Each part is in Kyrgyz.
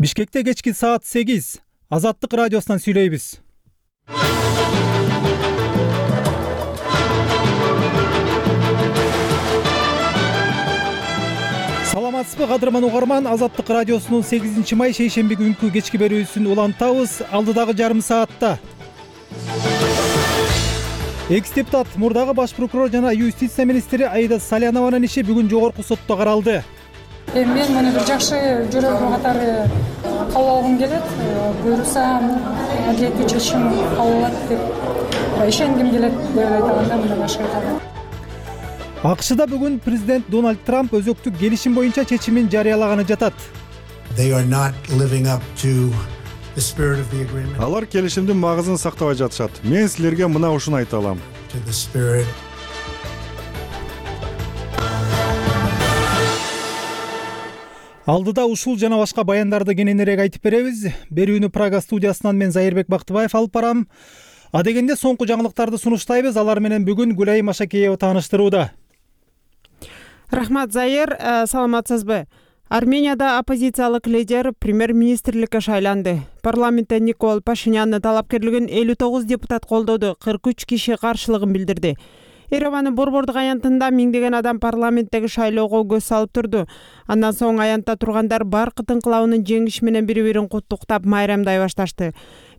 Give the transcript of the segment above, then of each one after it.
Бишкекте кечки саат 8. Азаттык радиосунан сүйлөйбүз. Саламатсызбы кадырман угарман, Азаттык радиосунун 8 май шейшемби күнкү кечки берүүсүн улантабыз. Алдыдагы жарым саатта экс-депутат, мурдагы баш прокурор жана юстиция министри Аида Салянованын иши бүгүн жогорку сотто каралды. Мен муну бир жакшы жөрөлгө катары кабыл алгым келет. Буюрса, адилеттүү чечим кабыл алат деп ишенгим келет деп айтканда мындай башка. АКШда бүгүн президент Дональд Трамп өзөктүк келишим боюнча чечимин жарыялаганы жатат. Алар келишимдин магызын сактабай жатышат. Мен силерге мына ушуну айта алам. Алдыда ушул жана башка баяндарды кененирээк айтып беребиз. Берүүнү Прага студиясынан мен Зайырбек Бактыбаев алып барам. Адегенде соңку жаңылыктарды сунуштайбыз. Алар менен бүгүн Гүлай Машакеева тааныштырууда. Рахмат, Зайыр, саламатсызбы? Арменияда оппозициялык лидер премьер-министрликке шайланды. Парламентте Никол Пашинянны талапкерлигин 59 депутат колдоду, 43 киши каршылыгын билдирди. Еревандын борбордук аянтында миңдеген адам парламенттеги шайлоого көз салып турду. Андан соң аянтта тургандар баркыт инкылабынын жеңиши менен бири-бирин куттуктап майрамдай башташты.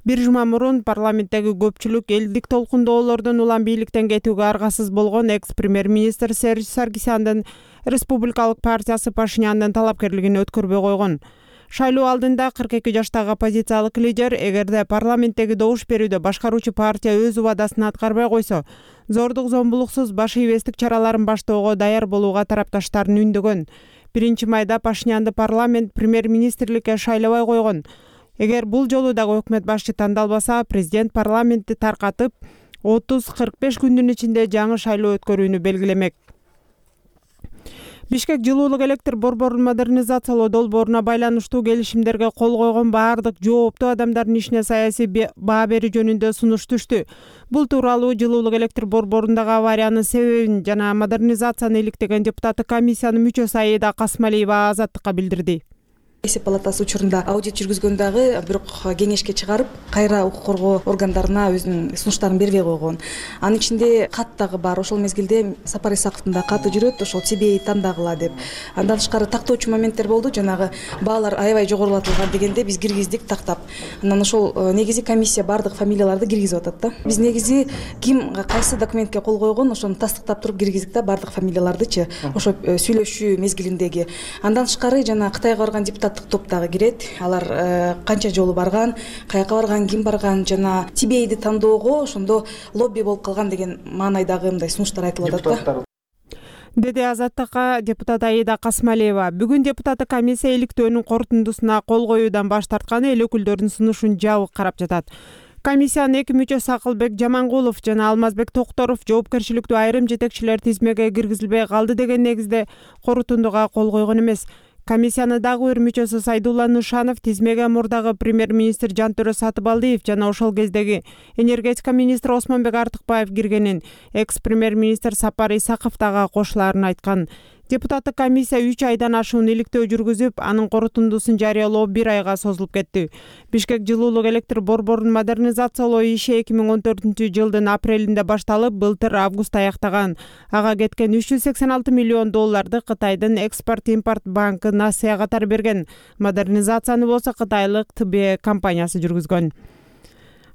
Бир жума мурун парламенттеги көпчүлүк элдик толкундоолордун улам бийликтен кетүүгө аргасыз болгон экс-премьер-министр Серж Саргисяндын Республикалык партиясы Пашинянын талапкерлигин өткөрбөй койгон. Шайлоо алдында 42 жаштагы оппозициялык лидер эгерде парламенттеги добуш берүүдө башкаруучу партия өз убадасын аткарбай койсо, зордук зомбулуксуз баш ийбестик чараларын баштоого даяр болууга тарапташтарын үндөгөн. 1-майда Пашинянды парламент премьер-министрликке шайлабай койгон. Эгер бул жолу дагы өкмөт башчы тандалбаса, президент парламентти таркатып 30-45 күндүн ичинде жаңы шайлоо өткөрүүнү белгилемек. Бишкек жылуулук электр борборун модернизациялоо долбооруна байланыштуу келишимдерге кол койгон баардык жооптуу адамдардын ишине саясий баа берүү жөнүндө сунуш түштү. Бул тууралуу жылуулук электр борборундагы авариянын себебин жана модернизацияны иликтеген депутаттык комиссиянын мүчөсү Аида Касмалиева Азаттыкка билдирди. Эсеп палатасы учурунда аудит жүргүзгөн дагы бирок кеңешке чыгарып, кайра укук коргоо органдарына өзүнүн сунуштарын бербей койгон. Анын ичинде кат дагы бар. Ошол мезгилде Сапар Исаковдун да каты жүрөт, ошол ТБ тандагыла деп. Андан тышкары тактоочу моменттер болду. Жанагы баалар аябай жогорулатылган дегенде биз киргиздик тактап. Андан ошол негизи комиссия бардык фамилияларды киргизип атат да. Биз негизи ким кайсы документке кол койгон, ошону тастыктап туруп киргиздик да бардык фамилиялардычы. Ошо сүйлөшүү мезгилиндеги. Андан тышкары жана Кытайга барган депутат топ дагы кирет. Алар канча жолу барган, каяка барган, ким барган жана ТБ-ди тандоого ошондо лобби болуп калган деген маанайдагы мындай сунуштар айтылып атат да. Деди Азаттыкка депутат Аида Касмалиева. Бүгүн депутаттык комиссия иликтөөнүн корутундусуна кол коюудан баш тартканы эл өкүлдөрүнүн сунушун жабык карап жатат. Комиссиянын эки мүчөсү Акылбек Жамангулов жана Алмазбек Токторов жоопкерчиликтүү айрым жетекчилер тизмеге киргизилбей калды деген негизде корутундуга кол койгон эмес. Комиссияны дагы бир мүчөсү Сайдулла Нушанов тизмеге мурдагы премьер-министр Жантөрө Сатыбалдиев жана ошол кездеги энергетика министри Осмонбек Артыкбаев киргенин, экс-премьер-министр Сапар Исаков дагы кошуларын айткан. Депутаттык комиссия 3 айдан ашуун иликтөө жүргүзүп, анын корутундусун жарыялоо 1 айга созулуп кетти. Бишкек жылуулук электр борборун модернизациялоо иши 2014-жылдын апрелинде башталып, былтыр август аяктаган. Ага кеткен 386 миллион долларды Кытайдын экспорт-импорт банкы Насыя катары берген. Модернизацияны болсо кытайлык ТБ компаниясы жүргүзгөн.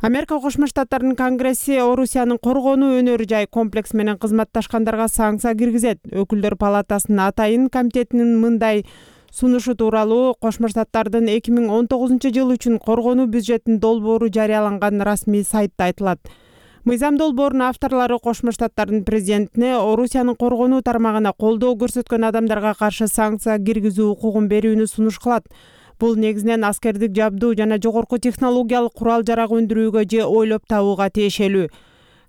Америка Кошмо Штаттарынын Конгресси Орусиянын коргонуу өнөр жай комплекс менен кызматташкандарга санкция киргизет. Өкүлдөр палатасынын атайын комитетинин мындай сунушу тууралуу Кошмо Штаттардын 2019 жыл үчүн коргонуу бюджетинин долбоору жарыяланган расмий сайтта айтылат. Мыйзам долбоорунун авторлору Кошмо Штаттардын президентине Орусиянын коргонуу тармагына колдоо көрсөткөн адамдарга каршы санкция киргизүү укугун берүүнү сунуш кылат. Бул негизинен аскердик жабдуу жана жогорку технологиялык курал-жарак өндүрүүгө же ойлоп табууга тиешелүү.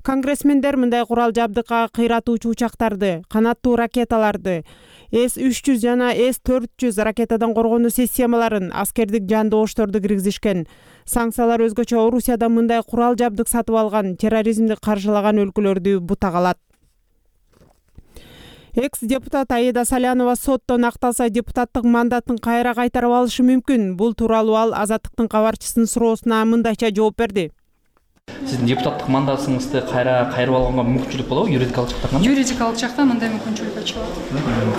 Конгрессмендер мындай курал-жабдыкка кыйратуучу учактарды, канаттуу ракеталарды, С-300 жана С-400 ракетадан коргонуу системаларын, аскердик жандоошторду киргизишкен. Санкциялар өзгөчө Орусияда мындай курал-жабдык сатып алган, терроризмди каржылаган өлкөлөрдү бутак алат. Экс депутат Аида Салянова соттон акталса депутаттык мандатын кайра кайтарып алышы мүмкүн. Бул тууралуу ал Азаттыктын кабарчысынын суроосуна мындайча жооп берди. Сиздин депутаттык мандатыңызды кайрып алганга мүмкүнчүлүк болобу юридикалык жактан? Юридикалык жактан мындай мүмкүнчүлүк ачылат.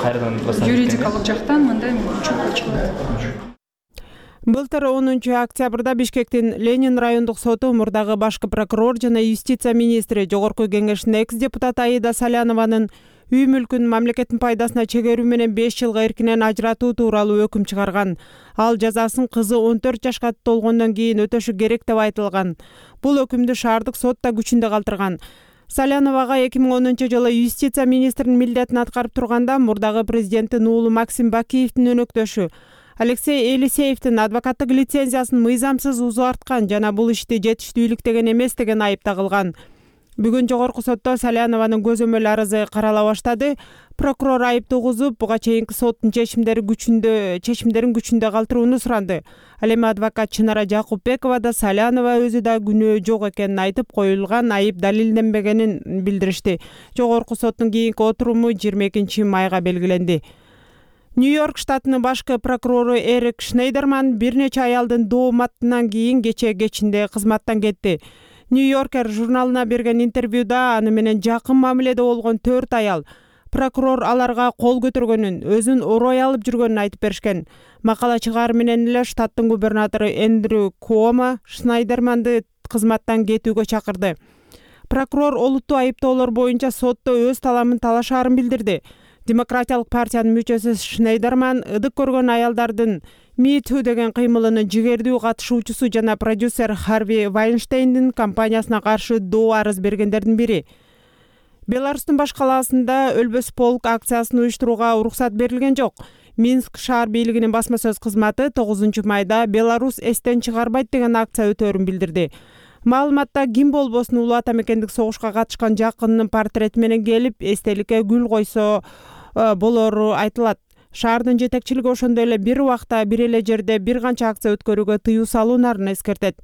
Кайрадан Юридикалык жактан мындай мүмкүнчүлүк ачылат. Былтыр 10 октябрда Бишкектин Ленин райондук соту мурдагы башкы прокурор жана юстиция министри Жогорку Кеңештин экс депутат Аида Салянованын үй мүлкүн мамлекеттин пайдасына чегерүү менен 5 жылга эркинен ажыратуу тууралуу өкүм чыгарган. Ал жазасын кызы 14 жашка толгондон кийин өтөшү керек деп айтылган. Бул өкүмдү шаардык сот да күчүндө калтырган. Саляновага 2010-жылы юстиция министринин милдетин аткарып турганда мурдагы президенттин уулу Максим Бакиевдин өнөктөшү Алексей Елисеевдин адвокаттык лицензиясын мыйзамсыз узарткан жана бул ишти жетиштүүлүктөгөн эмес деген айып тагылган. Бүгүн жогорку сотто Салянованын көзөмөл арызы карала баштады. Прокурор айып тугузуп, буга чейинки соттун чечимдерин күчүндө калтырууну суранды. Ал эми адвокат Чынара Жакупбекова да Салянова өзү да күнөө жок экенин айтып, коюлган айып далилденбегенин билдиришти. Жогорку соттун кийинки отуруму 22 майга белгиленди. Нью-Йорк штатынын башкы прокурору Эрик Шнейдерман бир нече аялдын дооматынан кийин кече кечинде кызматтан кетти. Нью-Йоркер журналына берген интервьюда аны менен жакын мамиледе болгон 4 аял прокурор аларга кол көтөргөнүн, өзүн орой алып жүргөнүн айтып беришкен. Макала чыгаар менен эле штаттын губернатору Эндрю Куомо Шнейдерманды кызматтан кетүүгө чакырды. Прокурор олуттуу айыптоолор боюнча сотто өз таламын талашаарын билдирди. Демократиялык партиянын мүчөсү Шнейдерман ыдык көргөн аялдардын Me Too деген кыймылынын жигердүү катышуучусу жана продюсер Харви Вайнштейндин компаниясына каршы доо арыз бергендердин бири. Беларустун баш калаасында Өлбөс полк акциясын уюштурууга уруксат берилген жок. Минск шаар бийлигинин басма сөз кызматы 9 майда Беларусь эстен чыгарбайт деген акция өтөөрүн билдирди. Маалыматта ким болбосун улуу ата мекендик согушка катышкан жакынынын портрети менен келип, эстеликке гүл койсо болору айтылат. Шаардын жетекчилиги ошондой эле бир убакта бир эле жерде бир канча акция өткөрүүгө тыюу салуунарын эскертет.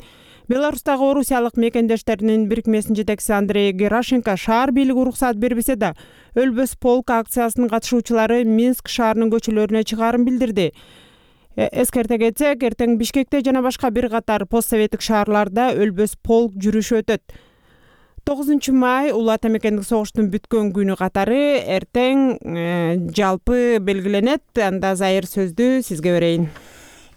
Беларустагы орусиялык мекендештеринин бирикмесинин жетекчиси Андрей Герашенко шаар бийлиги уруксат бербесе да, Өлбөс полк акциясынын катышуучулары Минск шаарынын көчөлөрүнө чыгаарын билдирди. Эскерте кетсек, эртең Бишкекте жана башка бир катар постсоветтик шаарларда Өлбөс полк жүрүшү өтөт. 9 май улуу ата мекендик согуштун бүткөн күнү катары эртең жалпы белгиленет. Анда зайыр сөздү сизге берейин.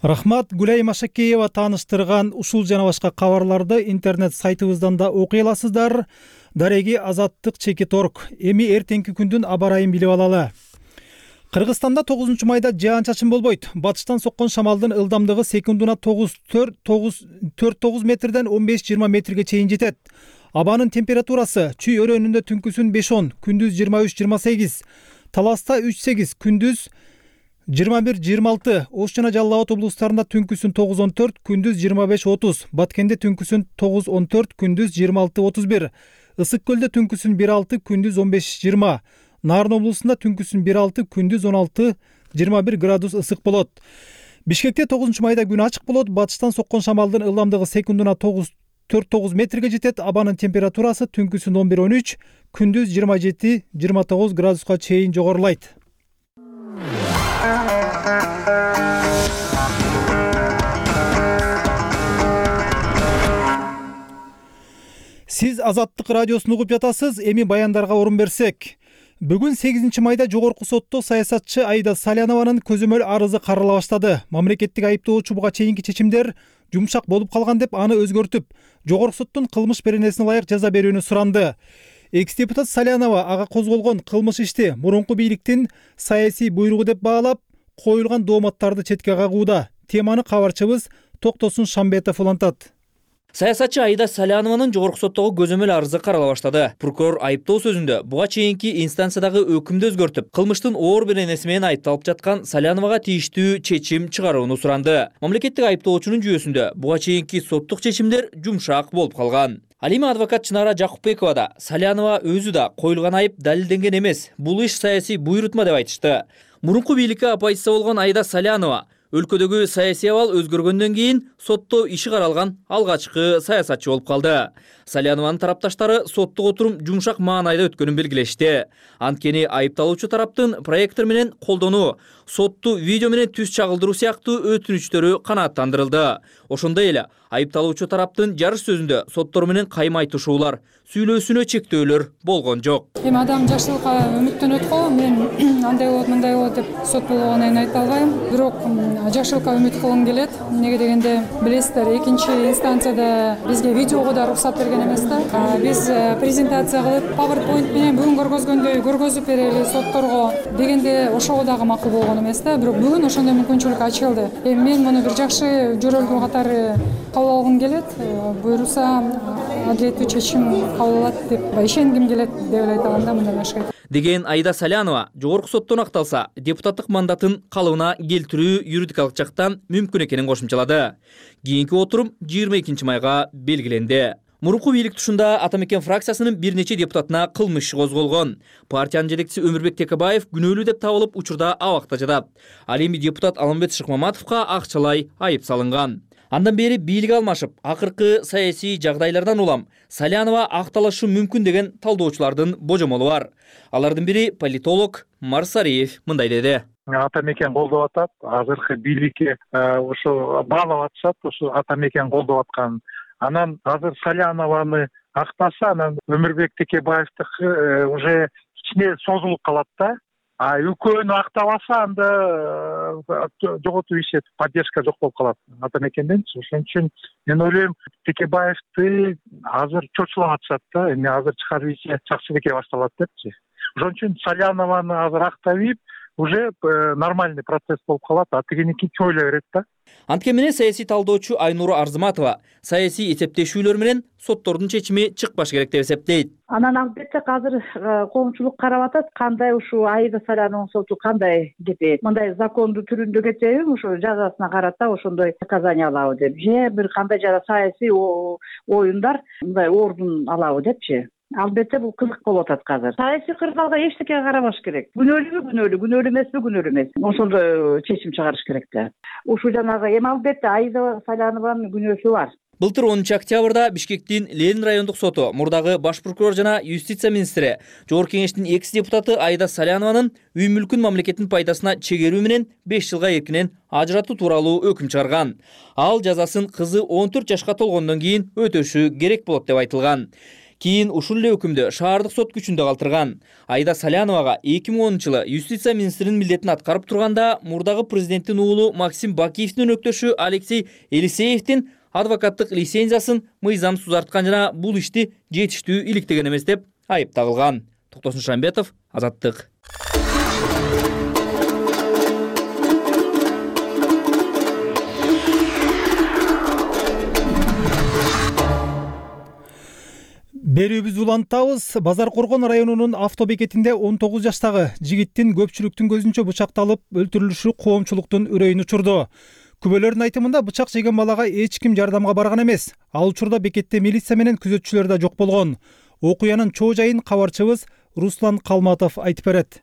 Рахмат. Гүлай Машакеева тааныштырган ушул жана башка кабарларды интернет сайтыбыздан да окуй аласыздар. Дареги Азаттык /.org. Эми эртеңки күндүн аба ырайын билип алалы. Кыргызстанда 9 майда жаан-чачын болбойт. Батыштан соккон шамалдын ылдамдыгы секундуна 9-9 метрден 15-20 метрге чейин жетет. Абанын температурасы чүй өрөөнүндө түнкүсүн 5-10, күндүз 23-28, Таласта 3-8, күндүз 21-26, Ош жана Жалал Абад облустарында түнкүсүн 9-14, күндүз 25-30, Баткенде түнкүсүн 9-14, күндүз 26-31, Ысык көлдө түнкүсүн 1-6, күндүз 15-20, Нарын облусунда түнкүсүн 1-6, күндүз 16-21 градус ысык болот. Бишкекте 9 майда күн ачык болот. Батыштан соккон шамалдын ылдамдыгы секундуна 4-9 метрге жетет. Абанын температурасы түнкүсүн 11-13, күндүз 27-29 градуска чейин жогорулайт. Сиз Азаттык радиосун угуп жатасыз. Эми баяндарга орун берсек. Бүгүн 8 майда жогорку сотто саясатчы Аида Салянованын көзөмөл арызы карала баштады. Мамлекеттик айыптоочу буга чейинки чечимдер жумшак болуп калган деп аны өзгөртүп, жогорку соттун кылмыш беренесине ылайык жаза берүүнү суранды. Экс-депутат Салянова ага козголгон кылмыш ишти мурунку бийликтин саясий буйругу деп баалап, коюлган дооматтарды четке кагууда. Теманы кабарчыбыз Токтосун Шамбетов улантат. Саясатчы Аида Салянованын жогорку соттогу көзөмөл арызы карала баштады. Прокурор айыптоо сөзүндө буга чейинки инстанциядагы өкүмдү өзгөртүп, кылмыштын оор беренеси менен айыпталып жаткан Саляновага тийиштүү чечим чыгарууну суранды. Мамлекеттик айыптоочунун жүйөсүндө буга чейинки соттук чечимдер жумшак болуп калган. Ал эми адвокат Чынара Жакупбекова да Салянова өзү да коюлган айып далилденген эмес, бул иш саясий буйрутма деп айтышты. Мурунку бийликке оппозиция болгон Аида Салянова өлкөдөгү саясий абал өзгөргөндөн кийин сотто иши каралган алгачкы саясатчы болуп калды. Салянованын тарапташтары соттук отурум жумшак маанайда өткөнүн белгилешти. Анткени айыпталуучу тараптын проектор менен колдонуу, сотту видео менен түз чагылдыруу сыяктуу өтүнүчтөрү канааттандырылды. Ошондой эле айыпталуучу тараптын жарыш сөзүндө соттор менен кайма айтышуулар, сүйлөөсүнө чектөөлөр болгон жок. Эми адам жакшылыкка үмүттөнөт го. Мен андай болот, мындай болот деп сот болгонун айта албайм. Бирок жакшылыкка үмүт кылгым келет. Эмнеге дегенде, билесиздер, экинчи инстанцияда бизге видеого да уруксат берген эмес да. Биз презентация кылып, PowerPoint менен бүгүн көргөзгөндөй көргөзүп берели сотторго дегенде ошого дагы макул болгон эмес да. Бирок бүгүн ошондой мүмкүнчүлүк ачылды. Эми мен муну бир жакшы жөрөлтүү катары кабыл алгым келет. Буюрса адилеттүү чечим кабыл алат деп ишенгим келет деп эле айта алам да, мындан башка. Деген Аида Салянова жогорку соттон акталса, депутаттык мандатын калыбына келтирүү юридикалык жактан мүмкүн экенин кошумчалады. Кийинки отурум 22 майга белгиленди. Мурунку бийлик тушунда Ата Мекен фракциясынын бир нече депутатына кылмыш иши козголгон. Партиянын жетекчиси Өмүрбек Текебаев күнөөлүү деп табылып учурда абакта жатат. Ал эми депутат Алмамбет Шыкмаматовго акчалай айып салынган. Андан бери бийлик алмашып, акыркы саясий жагдайлардан улам Салянова акталышы мүмкүн деген талдоочулардын божомолу бар. Алардын бири политолог Марсариев мындай деди. Ата Мекен колдоп атат, азыркы бийликке ошо баалап атышат, ошо Ата Мекен колдоп аткан. Анан азыр Салянованы актаса, анан Өмүрбек Текебаевдики уже кичине созулуп калат да. А экөөнү актабаса, анда жоготуп ишет, поддержка жок болуп калат Ата Мекенден. Ошон үчүн мен ойлойм, Текебаевди азыр чочулап атышат да. Эми азыр чыгарып ийсе Жакшыбекке башталат депчи. Ошон үчүн Салянованы азыр актап ийип, уже нормальный процесс болуп калат, а тигиники чойлой берет да. Анткени менен саясий талдоочу Айнура Арзыматова саясий эсептешүүлөр менен соттордун чечими чыкпаш керек деп эсептейт. Анан албетте азыр коомчулук карап атат, кандай ушул Аида Салянованын соту кандай кетет. Мындай закондуу түрүндө кетеби, ошо жазасына карата ошондой наказание алабы деп, же бир кандай жада саясий оюндар мындай ордун алабы депчи. Албетте бул кызык болуп атат азыр. Саясий кырдаалга эчтекеге карабаш керек. Күнөөлүүбү, күнөөлүү эмеспи, күнөөлүү эмес. Ошондой чечим чыгарыш керек да. Ушул жанагы эми албетте Аида Салянованын күнөөсү бар. Былтыр 10 октябрда Бишкектин Ленин райондук соту мурдагы баш прокурор жана юстиция министри, Жогорку кеңештин экс депутаты Аида Салянованын үй мүлкүн мамлекеттин пайдасына чегерүү менен 5 жылга эркинен ажыратуу тууралуу өкүм чыгарган. Ал жазасын кызы 14 жашка толгондон кийин өтөшү керек болот деп айтылган. Кийин ушул эле өкүмдү шаардык сот күчүндө калтырган. Аида Саляновага 2010-жылы юстиция министринин милдетин аткарып турганда мурдагы президенттин уулу Максим Бакиевдин өнөктөшү Алексей Елисеевдин адвокаттык лицензиясын мыйзамсыз узарткан жана бул ишти жетиштүү иликтеген эмес деп айып тагылган. Токтосун Шамбетов, Азаттык. Берүүбүздү улантабыз. Базар Коргон районунун автобекетинде 19 жаштагы жигиттин көпчүлүктүн көзүнчө бычакталып өлтүрүлүшү коомчулуктун үрөйүн учурду. Күбөлөрдүн айтымында бычак жеген балага эч ким жардамга барган эмес. Ал учурда бекетте милиция менен күзөтчүлөр да жок болгон. Окуянын чоо жайын кабарчыбыз Руслан Калматов айтып берет.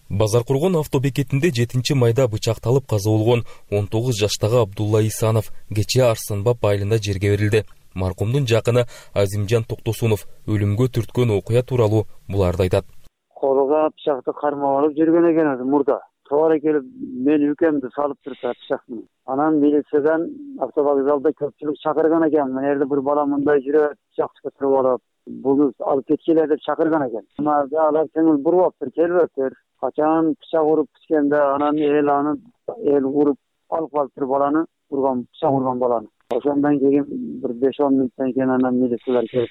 Базар Коргон автобекетинде 7 майда бычакталып каза болгон 19 жаштагы Абдулла Исанов кечээ Арсанбап айылында жерге берилди. Маркумдун жакыны Азимжан Токтосунов өлүмгө түрткөн окуя тууралуу буларды айтат. Колуга пычакты кармап алып жүргөн экен мурда. Туура келип, мен үкемди салып турду пычакты. Анан милициядан автовокзалда көпчүлүк чакырган экен. Мен жерде бир бала мындай жүрөт, пычакты туруп алып, буну алып кеткиле деп чакырган экен. Алар көңүл бурбаптыр, келбептир. Качан пычак уруп түшкөндө анан эл уруп алып калыптыр баланы, пычак урган баланы. Ошондон кийин бир 5-10 мүнөттөн кийин анан милициялар келип.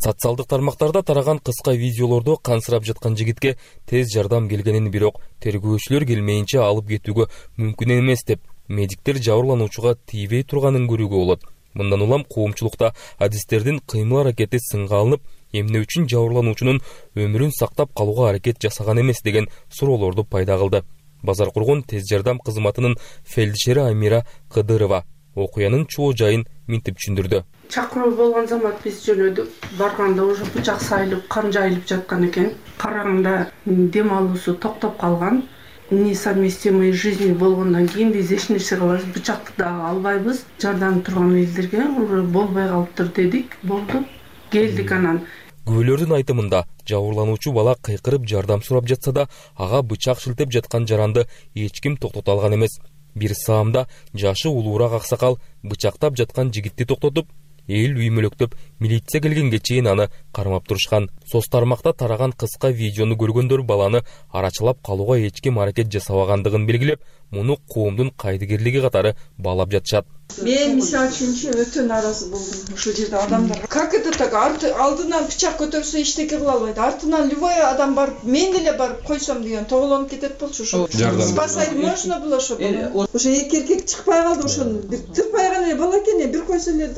Социалдык тармактарда тараган кыска видеолордо кансырап жаткан жигитке тез жардам келгенин, бирок тергөөчүлөр келмейинче алып кетүүгө мүмкүн эмес деп медиктер жабырлануучуга тийбей турганын көрүүгө болот. Мындан улам коомчулукта адистердин кыймыл аракети сынга алынып, эмне үчүн жабырлануучунун өмүрүн сактап калууга аракет жасаган эмес деген суроолорду пайда кылды. Базар Коргон тез жардам кызматынын фельдшери Амира Кыдырова окуянын чоо жайын минтип түшүндүрдү. Чакыруу болгон замат биз жөнөдүк. Барганда уже бычак сайылып, кан жайылып жаткан экен. Караганда дем алуусу токтоп калган. несовместимый жизни болгондон кийин биз эч нерсе кылабыз, бычакты дагы албайбыз. Жардам турган элдерге уже болбой калыптыр дедик, болду. Келдик анан. Күбөлөрдүн айтымында жабырлануучу бала кыйкырып жардам сурап жатса да, ага бычак шилтеп жаткан жаранды эч ким токтото алган эмес. Бир саамда жашы улуураак аксакал бычактап жаткан жигитти токтотуп, эл үймөлөктөп, милиция келгенге чейин аны кармап турушкан. Соц тармакта тараган кыска видеону көргөндөр баланы арачылап калууга эч ким аракет жасабагандыгын белгилеп, муну коомдун кайдыгерлиги катары баалап жатышат. Мен мисалы үчүн өтө нааразы болдум ушул жерде адамдарга. Как это так? Алдынан бычак көтөрсө эчтеке кыла албайт. Артынан любой адам барып, мен деле барып койсом деген тоголонуп кетет болчу ошо. Спасать можно было ошо. Ошо эки эркек чыкпай калды ошону. Тырпай гана бала экен, бир койсо эле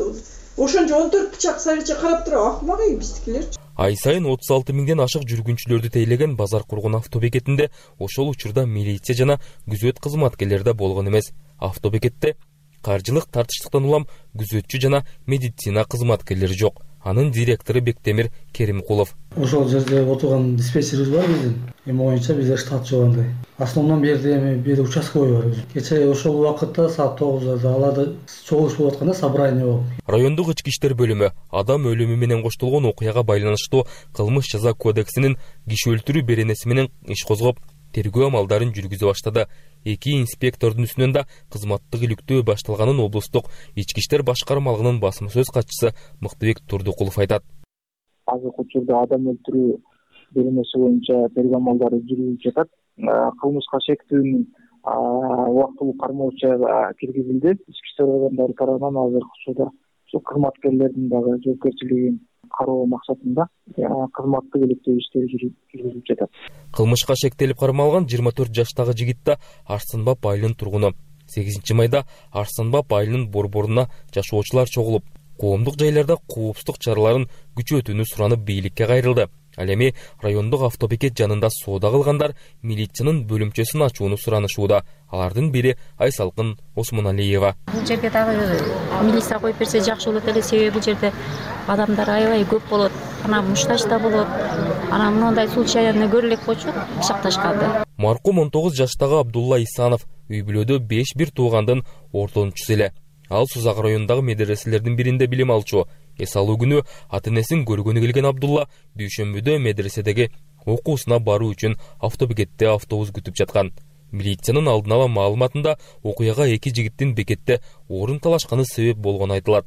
ошончо 14 бычак сарыча карап туруп акмак биздикилер. Ай сайын 36 миңден ашык жүргүнчүлөрдү тейлеген базар кургун автобекетинде ошол учурда милиция жана күзөт кызматкерлери да болгон эмес. Автобекетте каржылык тартыштыктан улам күзөтчү жана медицина кызматкерлери жок. Анын директору Бектемир Керимкулов. Ошол жерде отурган диспетчерибиз бар биздин. Эми боюнча бизде штат жок андай. Основном бир участковый бар. Кечээ ошол убакытта саат 9-да аларда чогулуш болуп атканда собрание болуп. Райондук ички иштер бөлүмү адам өлүмү менен коштолгон окуяга байланыштуу кылмыш жаза кодексинин киши өлтүрүү беренеси менен иш козгоп, тергөө амалдарын жүргүзө баштады. Эки инспектордун үстүнөн да кызматтык иликтөө башталганын облустук ички иштер башкармалыгынын басма сөз катчысы Мыктыбек Турдукулов айтат. Азыркы учурда адам өлтүрүү беренеси боюнча тергөө амалдары жүрүлүп жатат. Кылмышка шектүүнүн убактылуу кармоочу киргизилди. Ички иштер органдары тарабынан азыркы учурда ушул кызматкерлердин дагы жоопкерчилигин кароо максатында кызматтык иликтөө иштери жүргүзүлүп жатат. Кылмышка шектелип кармалган 24 жаштагы жигит да Арсанбап айылынын тургуну. 8 майда Арсанбап айылынын борборуна жашоочулар чогулуп, коомдук жайларда коопсуздук чараларын күчөтүүнү суранып бийликке кайрылды. Ал эми райондук автобекет жанында соода кылгандар милициянын бөлүмчөсүн ачууну суранышууда. Алардын бири Айсалкын Осмоналиева. Бул жерге дагы милиция коюп берсе жакшы болот эле, себеби бул жерде адамдар аябай көп болот. Анан муштаж да болот. Анан мындай случайны көрө элек болчу бычакташканды. Маркум 19 жаштагы Абдулла Исанов үй бүлөдө 5 туугандын ортончусу эле. Ал Сузак районундагы медреселердин биринде билим алчу. Эс алуу күнү ата-энесин көргөнү келген Абдулла дүйшөмбүдө медреседеги окуусуна баруу үчүн автобекетте автобус күтүп жаткан. Милициянын алдын ала маалыматында окуяга эки жигиттин бекетте орун талашканы себеп болгону айтылат.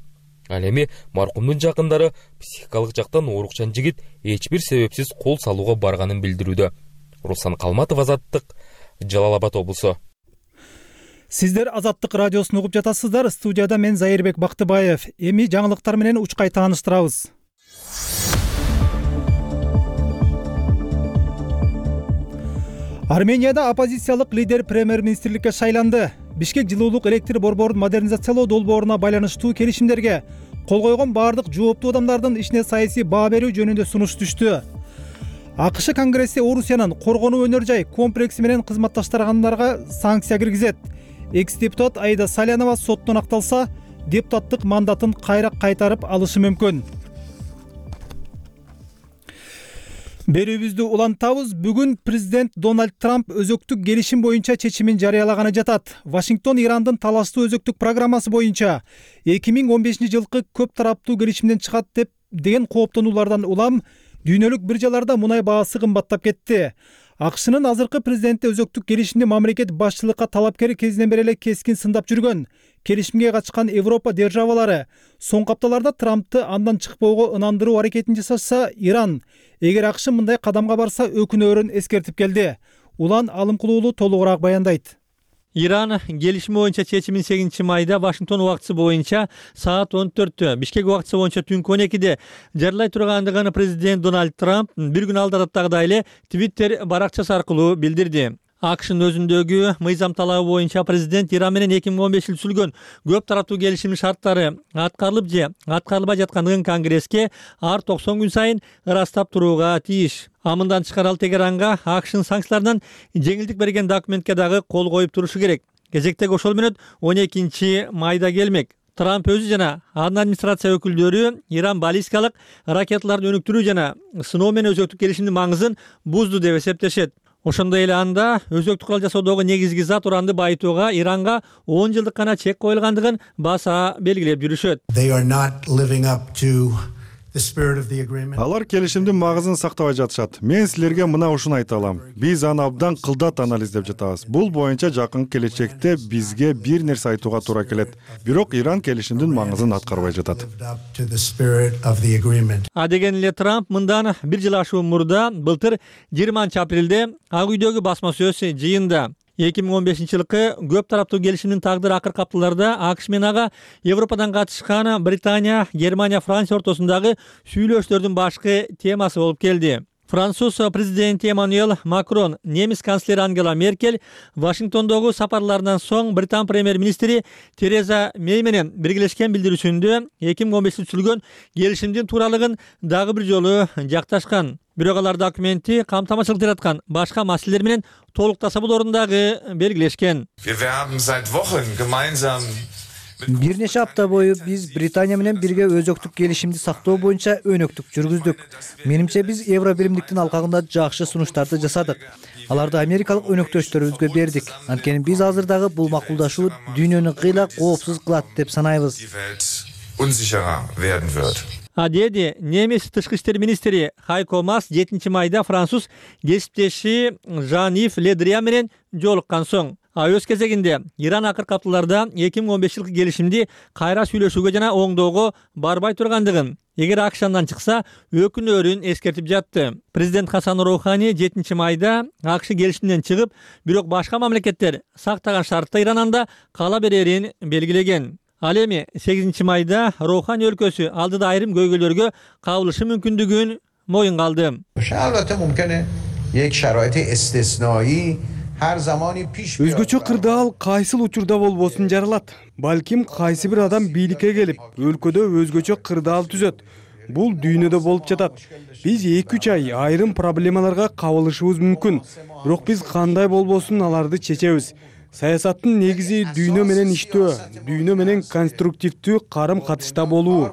Ал эми маркумдун жакындары психикалык жактан оорукчан жигит эч бир себепсиз кол салууга барганын билдирүүдө. Руслан Калматов, Азаттык, Жалал Абад облусу. Сиздер Азаттык радиосун угуп жатасыздар. Студияда мен Зайырбек Бактыбаев. Эми жаңылыктар менен учкай тааныштырабыз. Арменияда оппозициялык лидер премьер-министрликке шайланды. Бишкек жылуулук электр борборун модернизациялоо долбооруна байланыштуу келишимдерге кол койгон бардык жооптуу адамдардын ишине саясий баа берүү жөнүндө сунуш түштү. АКШ Конгресси Орусиянын коргонуу өнөр жай комплекси менен кызматташтыргандарга санкция киргизет. Экс-депутат Аида Салянова соттон акталса, депутаттык мандатын кайра кайтарып алышы мүмкүн. Берүүбүздү улантабыз. Бүгүн президент Дональд Трамп өзөктүк келишим боюнча чечимин жарыялаганы жатат. Вашингтон Ирандын талаштуу өзөктүк программасы боюнча 2015-жылкы көп тараптуу келишимден чыгат деген кооптонуулардан улам дүйнөлүк биржаларда мунай баасы кымбаттап кетти. АКШнын азыркы президенти өзөктүк келишимди мамлекет башчылыкка талапкер кезинен бери эле кескин сындап жүргөн. Келишимге катышкан Европа державалары соңку апталарда Трампты андан чыкпоого ынандыруу аракетин жасашса, Иран эгер АКШ мындай кадамга барса өкүнөөрүн эскертип келди. Улан Алымкулуулу толугураак баяндайт. Иран келишими боюнча чечимин 8 майда Вашингтон убактысы боюнча саат 14, Бишкек убактысы боюнча түнкү 12-де жарылай тургандыгын президент Дональд Трамп бир күн алдадагыдай эле Twitter баракчасы аркылуу билдирди. АКШнын өзүндөгү мыйзам талабы боюнча президент Иран менен 2015 түзүлгөн көп тараптуу келишимдин шарттары аткарылып же аткарылбай жаткандыгын Конгресске ар 90 күн сайын ырастап турууга тийиш. Мындан тышкары ал Тегеранга АКШнын санкцияларынан жеңилдик берген документке дагы кол коюп турушу керек. Кезектеги ошол менен 12 майда келмек. Трамп өзү жана анын администрация өкүлдөрү Иран баллистикалык ракеталарды өнүктүрүү жана сыноо менен өзөктүк келишимдин маңызын бузду деп эсептешет. Ошондой эле анда өзөктүк курал жасоодогу негизги зат уранды байытууга Иранга 10 жылдык гана чек коюлгандыгын баса белгилеп жүрүшөт. Алар келишимдин магызын сактабай жатышат. Мен силерге мына ушуну айта алам. Биз аны абдан кылдат анализдеп жатабыз. Бул боюнча жакын келечекте бизге бир нерсе айтууга туура келет. Бирок Иран келишимдин маңызын аткарбай жатат. А деген эле Трамп мындан бир жыл ашуун мурда былтыр 20 апрелде Ак үйдөгү басма сөз жыйында 2015-жылкы көп тараптуу келишимдин тагдыры акыркы апталарда АКШ менен ага Европадан катышкан Британия, Германия, Франция ортосундагы сүйлөшүүлөрдүн башкы темасы болуп келди. Француз президенти Эммануэль Макрон, немис канцлери Ангела Меркель Вашингтондогу сапарларынан соң Британ премьер-министри Тереза Мэй менен биргелешкен билдирүүсүндө 2015 түзүлгөн келишимдин тууралыгын дагы бир жолу жакташкан. Бирок алар документи камтамашылык жараткан башка маселелер менен толуктаса болоорун дагы белгилешкен. Бир нече апта бою биз Британия менен бирге өзөктүк келишимди сактоо боюнча өнөктүк жүргүздүк. Менимче биз Евро биримдиктин алкагында жакшы сунуштарды жасадык. Аларды америкалык өнөктөштөрүбүзгө бердик. Анткени биз азыр дагы бул макулдашуу дүйнөнү кыйла коопсуз кылат деп санайбыз. Деди немис тышкы иштер министри Хайко Мас 7 майда француз кесиптеши Жан-Ив Ле Дриан менен жолуккан соң. Өз кезегинде Иран акыркы апталарда 2015 жылкы келишимди кайра сүйлөшүүгө жана оңдоого барбай тургандыгын, эгер АКШ андан чыкса өкүнөөрүн эскертип жатты. Президент Хасан Роухани 7 майда АКШ келишимден чыгып, бирок башка мамлекеттер сактаган шартта Иран анда кала берерин белгилеген. Ал эми 8 майда Роухани өлкөсү алдыда айрым көйгөйлөргө кабылышы мүмкүндүгүн моюнга алды. Өзгөчө кырдаал кайсыл учурда болбосун жаралат. Балким кайсы бир адам бийликке келип, өлкөдө өзгөчө кырдаал түзөт. Бул дүйнөдө болуп жатат. Биз 2-3 ай айрым проблемаларга кабылышыбыз мүмкүн. Бирок биз кандай болбосун аларды чечебиз. Саясаттын негизи дүйнө менен иштөө, дүйнө менен конструктивдүү карым-катышта болуу.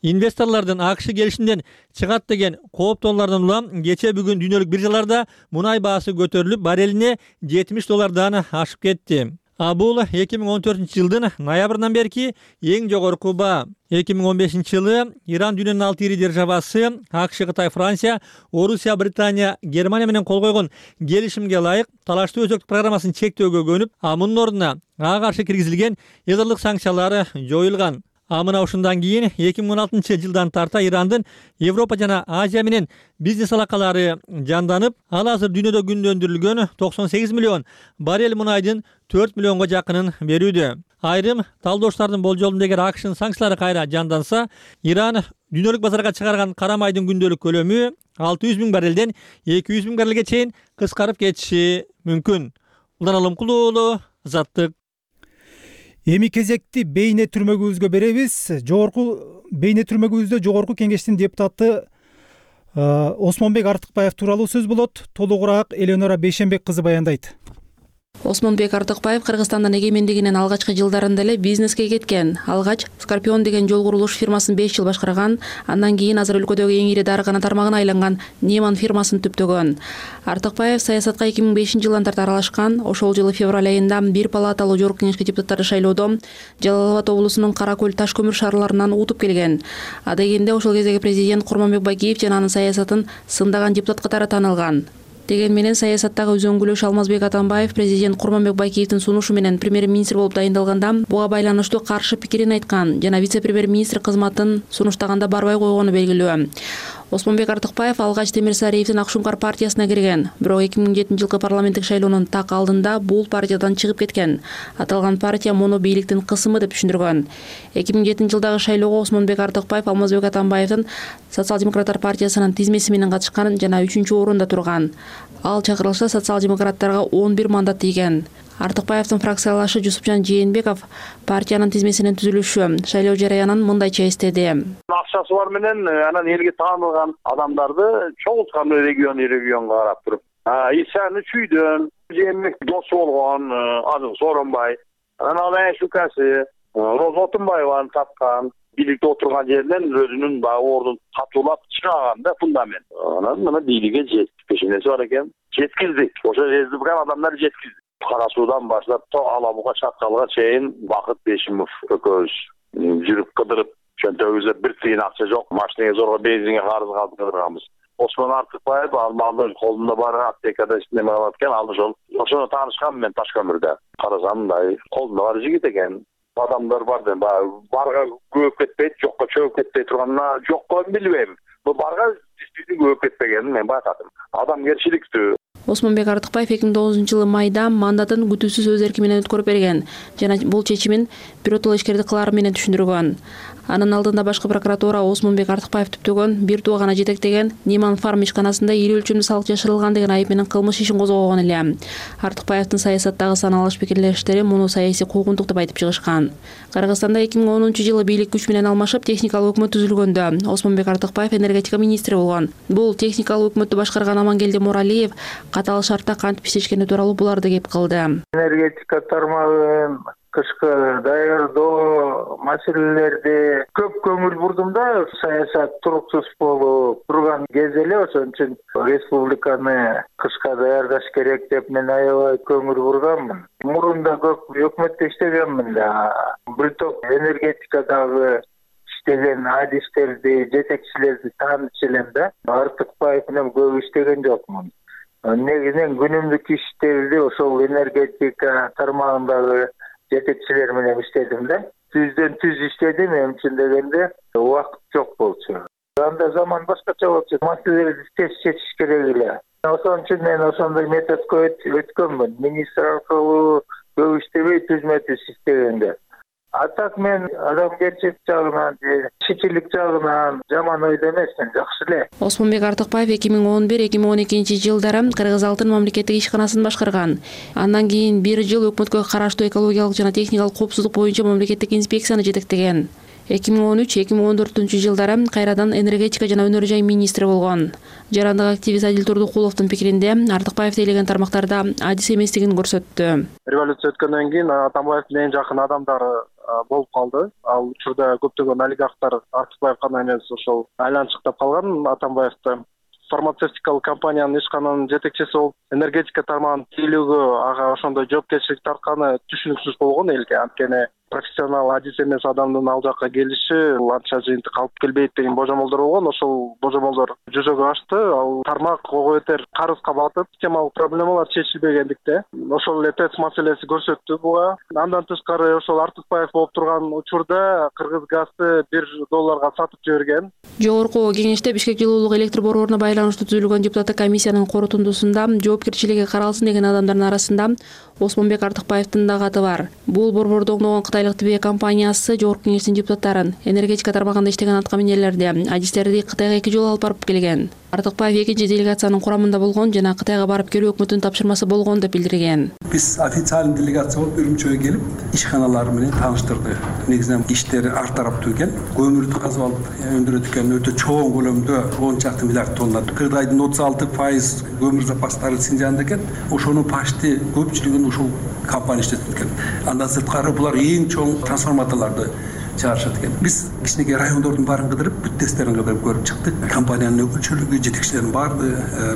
Инвесторлордун АКШ келишимден чыгат деген кооптоолордон улам кече бүгүн дүйнөлүк биржаларда мунай баасы көтөрүлүп, барелине $70 ашып кетти. Бул 2014 жылдын ноябрынан берки эң жогорку баа. 2015 жылы Иран дүйнөнүн 6 ири державасы АКШ, Кытай, Франция, Орусия, Британия, Германия менен кол койгон келишимге ылайык талаштуу өзөктүк программасын чектөөгө көнүп, мунун ордуна ага каршы киргизилген ядролук санкциялар жоюлган. Мына ушундан кийин 2016 жылдан тарта Ирандын Европа жана Азия менен бизнес алакалары жанданып, ал азыр дүйнөдө күндө өндүрүлгөн 98 миллион баррель мунайдын 4 миллионго жакынын берүүдө. Айрым талдоочулардын болжолунда эгер АКШнын санкциялары кайра жанданса, Иран дүйнөлүк базарга чыгарган кара майдын күндөлүк көлөмү 600 000 баррелден 200 000 баррелге чейин кыскарып кетиши мүмкүн. Улан Алымкулуу, Азаттык. Эми кезекти бейне түрмөгүбүзгө беребиз. Бейне түрмөгүбүздө жогорку кеңештин депутаты Осмонбек Артыкбаев тууралуу сөз болот. Толугураак Эленора Бейшенбек кызы баяндайт. Осмонбек Артыкбаев Кыргызстандын эгемендигинин алгачкы жылдарында эле бизнеске кеткен. Алгач Скорпион деген жол курулуш фирмасын 5 жыл башкарган, андан кийин азыр өлкөдөгү эң ири дарыгана тармагына айланган Неман фирмасын түптөгөн. Артыкбаев саясатка 2005 жылдан тарта аралашкан. Ошол жылы февраль айында бир палаталуу жогорку кеңешке депутаттары шайлоодо Жалал Абад облусунун Кара Көл таш көмүр шаарларынан утуп келген. Дегенде ошол кездеги президент Курманбек Бакиев жана анын саясатын сындаган депутат катары таанылган. Деген менен саясаттагы үзөңгүлөш Алмазбек Атамбаев президент Курманбек Бакиевдин сунушу менен премьер-министр болуп дайындалганда буга байланыштуу каршы пикирин айткан жана вице-премьер-министр кызматын сунуштаганда барбай койгону белгилүү. Осмонбек Артыкбаев алгач Темир Сариевдин Акшумкар партиясына кирген, бирок 2007 жылкы парламенттик шайлоонун так алдында бул партиядан чыгып кеткен. Аталган партия муну бийликтин кысымы деп түшүндүргөн. 2007 жылдагы шайлоого Осмонбек Артыкбаев Алмазбек Атамбаевдин Социал-демократтар партиясынын тизмеси менен катышкан жана 3-орунда турган. Ал чакырылса социал-демократтарга 11 мандат тийген. Артыкбаевдин фракциялашы Жусупжан Жээнбеков партиянын тизмесинин түзүлүшү, шайлоо жараянын мындайча эстеди. Акчасы бар менен анан элге таанылган адамдарды чогулткан регионга карап туруп. Исаны Чүйдөн, Жээнбек досу болгон Азыр Сооронбай, анан ал Шукасы, Роза Отунбаеваны тапкан, бийликте отурган жеринен өзүнүн баягы ордун катуулап чыгаган да фундамент. Анан мына бийликке жеттик. Эмнеси бар экен? Жеткиздик. Ошо езилген адамдар жеткиздик. Кара Суудан баштап Ала Буга чаткалга чейин Бакыт Бешимов экөөбүз жүрүп кыдырып, чөнтөгүбүздө бир тыйын акча жок, машинеге зорго бензинге карыз калып кыдырганбыз. Осмон Артыкбаев ал колунда бар аптекада неме кылат экен, ал ошону таанышкам мен Ташкөмүрдө. Карасам мындай колунда бар жигит экен. Адамдар бар деп барга көөп кетпейт, жокко чөгүп кетпей турганына жокко билбейм. Бул барга действительно көөп кетпегенин мен байкадым. Адамгерчиликтүү. Осмонбек Артыкбаев 2009-жылы майда мандатын күтүүсүз өз эрки менен өткөрүп берген жана бул чечимин биротоло ишкерди кылаары менен түшүндүргөн. Анын алдында башкы прокуратура Осмонбек Артыкбаев түптөгөн бир туугана жетектеген Ниман Фарм ишканасында ири өлчөмдүү салык жашырылган деген айып менен кылмыш ишин козгогон эле. Артыкбаевдин саясаттагы саналыш пикирлештери муну саясий куугунтук деп айтып чыгышкан. Кыргызстанда 2010-жылы бийлик күч менен алмашып техникалык өкмөт түзүлгөндө Осмонбек Артыкбаев энергетика министри болгон. Бул техникалык өкмөттү башкарган Амангелди Муралиев катаал шартта кантип иштешкени тууралуу буларды кеп кылды. Энергетика тармагын кышкы даярдоо маселелерди көп көңүл бурдум да, саясат туруксуз болуп турган кез эле, ошон үчүн республиканы кышка даярдаш керек деп мен аябай көңүл бурганмын. Мурунда көп өкмөттө иштегенмин да. Бир топ энергетикадагы иштеген адистерди, жетекчилерди тааныш элем да. Артыкбаев менен көп иштеген жокмун. Негизинен күнүмдүк иштерди ошол энергетика тармагындагы жетекчилер менен иштедим да. Түздөн түз иштедим, эми чын дегенде убакыт жок болчу. Анда заман башкача болчу, маселелерди тез чечиш керек эле. Ошон үчүн мен ошондой методко өткөнмүн. Министр аркылуу көп иштебей түзмө түз иштегенде. А так мен адамгерчилик жагынан, кичилик жагынан жаман ойдо эмесмин, жакшы эле. Осмонбек Артыкбаев 2011-2012-жылдары Кыргыз Алтын мамлекеттик ишканасын башкарган. Андан кийин бир жыл өкмөткө караштуу экологиялык жана техникалык коопсуздук боюнча мамлекеттик инспекцияны жетектеген. 2013-2014-жылдары кайрадан энергетика жана өнөр жай министри болгон. Жарандык активист Адил Турдукуловдун пикиринде Артыкбаев тейлеген тармактарда адис эместигин көрсөттү. Революция өткөндөн кийин Атамбаевдин эң жакын адамдары болуп калды. Ал учурда көптөгөн олигархтар Артыкбаевга эмес ошол айланчыктап калган Атамбаевди. Фармацевтикалык компаниянын ишкананын жетекчиси болуп, энергетика тармагынын тейлөөгө ага ошондой жоопкерчилик тартканы түшүнүксүз болгон элге. Анткени профессионал адис эмес адамдын ал жакка келиши анча жыйынтык алып келбейт деген божомолдор болгон. Ошол божомолдор жүзөгө ашты. Ал тармак ого бетер карызга батып, системалык проблемалар чечилбегендикте ошол эле ТЭЦ маселеси көрсөттү буга. Андан тышкары ошол Артыкбаев болуп турган учурда Кыргызгазды $1 сатып жиберген. Жогорку кеңеште Бишкек жылуулук электр борборуна байланыштуу түзүлгөн депутаттык комиссиянын корутундусунда жоопкерчилиги каралсын деген адамдардын арасында Осмонбек Артыкбаевдин да каты бар. Бул борборду оңдогон Кытайлык ТБ компаниясы жогорку кеңештин депутаттарын энергетика тармагында иштеген аткаминерлерди, адистерди Кытайга 2 жолу алып барып келген. Артыкбаев экинчи делегациянын курамында болгон жана Кытайга барып келүү өкмөттүн тапшырмасы болгон деп билдирген. Биз официалдуу делегация болуп Үрүмчөгө келип, ишканалары менен тааныштырды. Негизинен иштери ар тараптуу экен. Көмүрдү казып алып өндүрөт экен, өтө чоң көлөмдө 10 чакты миллиард тонна. Кыргыздын 36% көмүр запастары Синжанда экен. Ошонун почти көпчүлүгүн ушул компания иштетет экен. Андан сырткары булар эң чоң трансформаторлорду чыгарышат экен. Биз кичинекей райондордун баарын кыдырып, бүт тесттерин кыдырып көрүп чыктык. Компаниянын өкүлчүлүгү, жетекчилеринин баары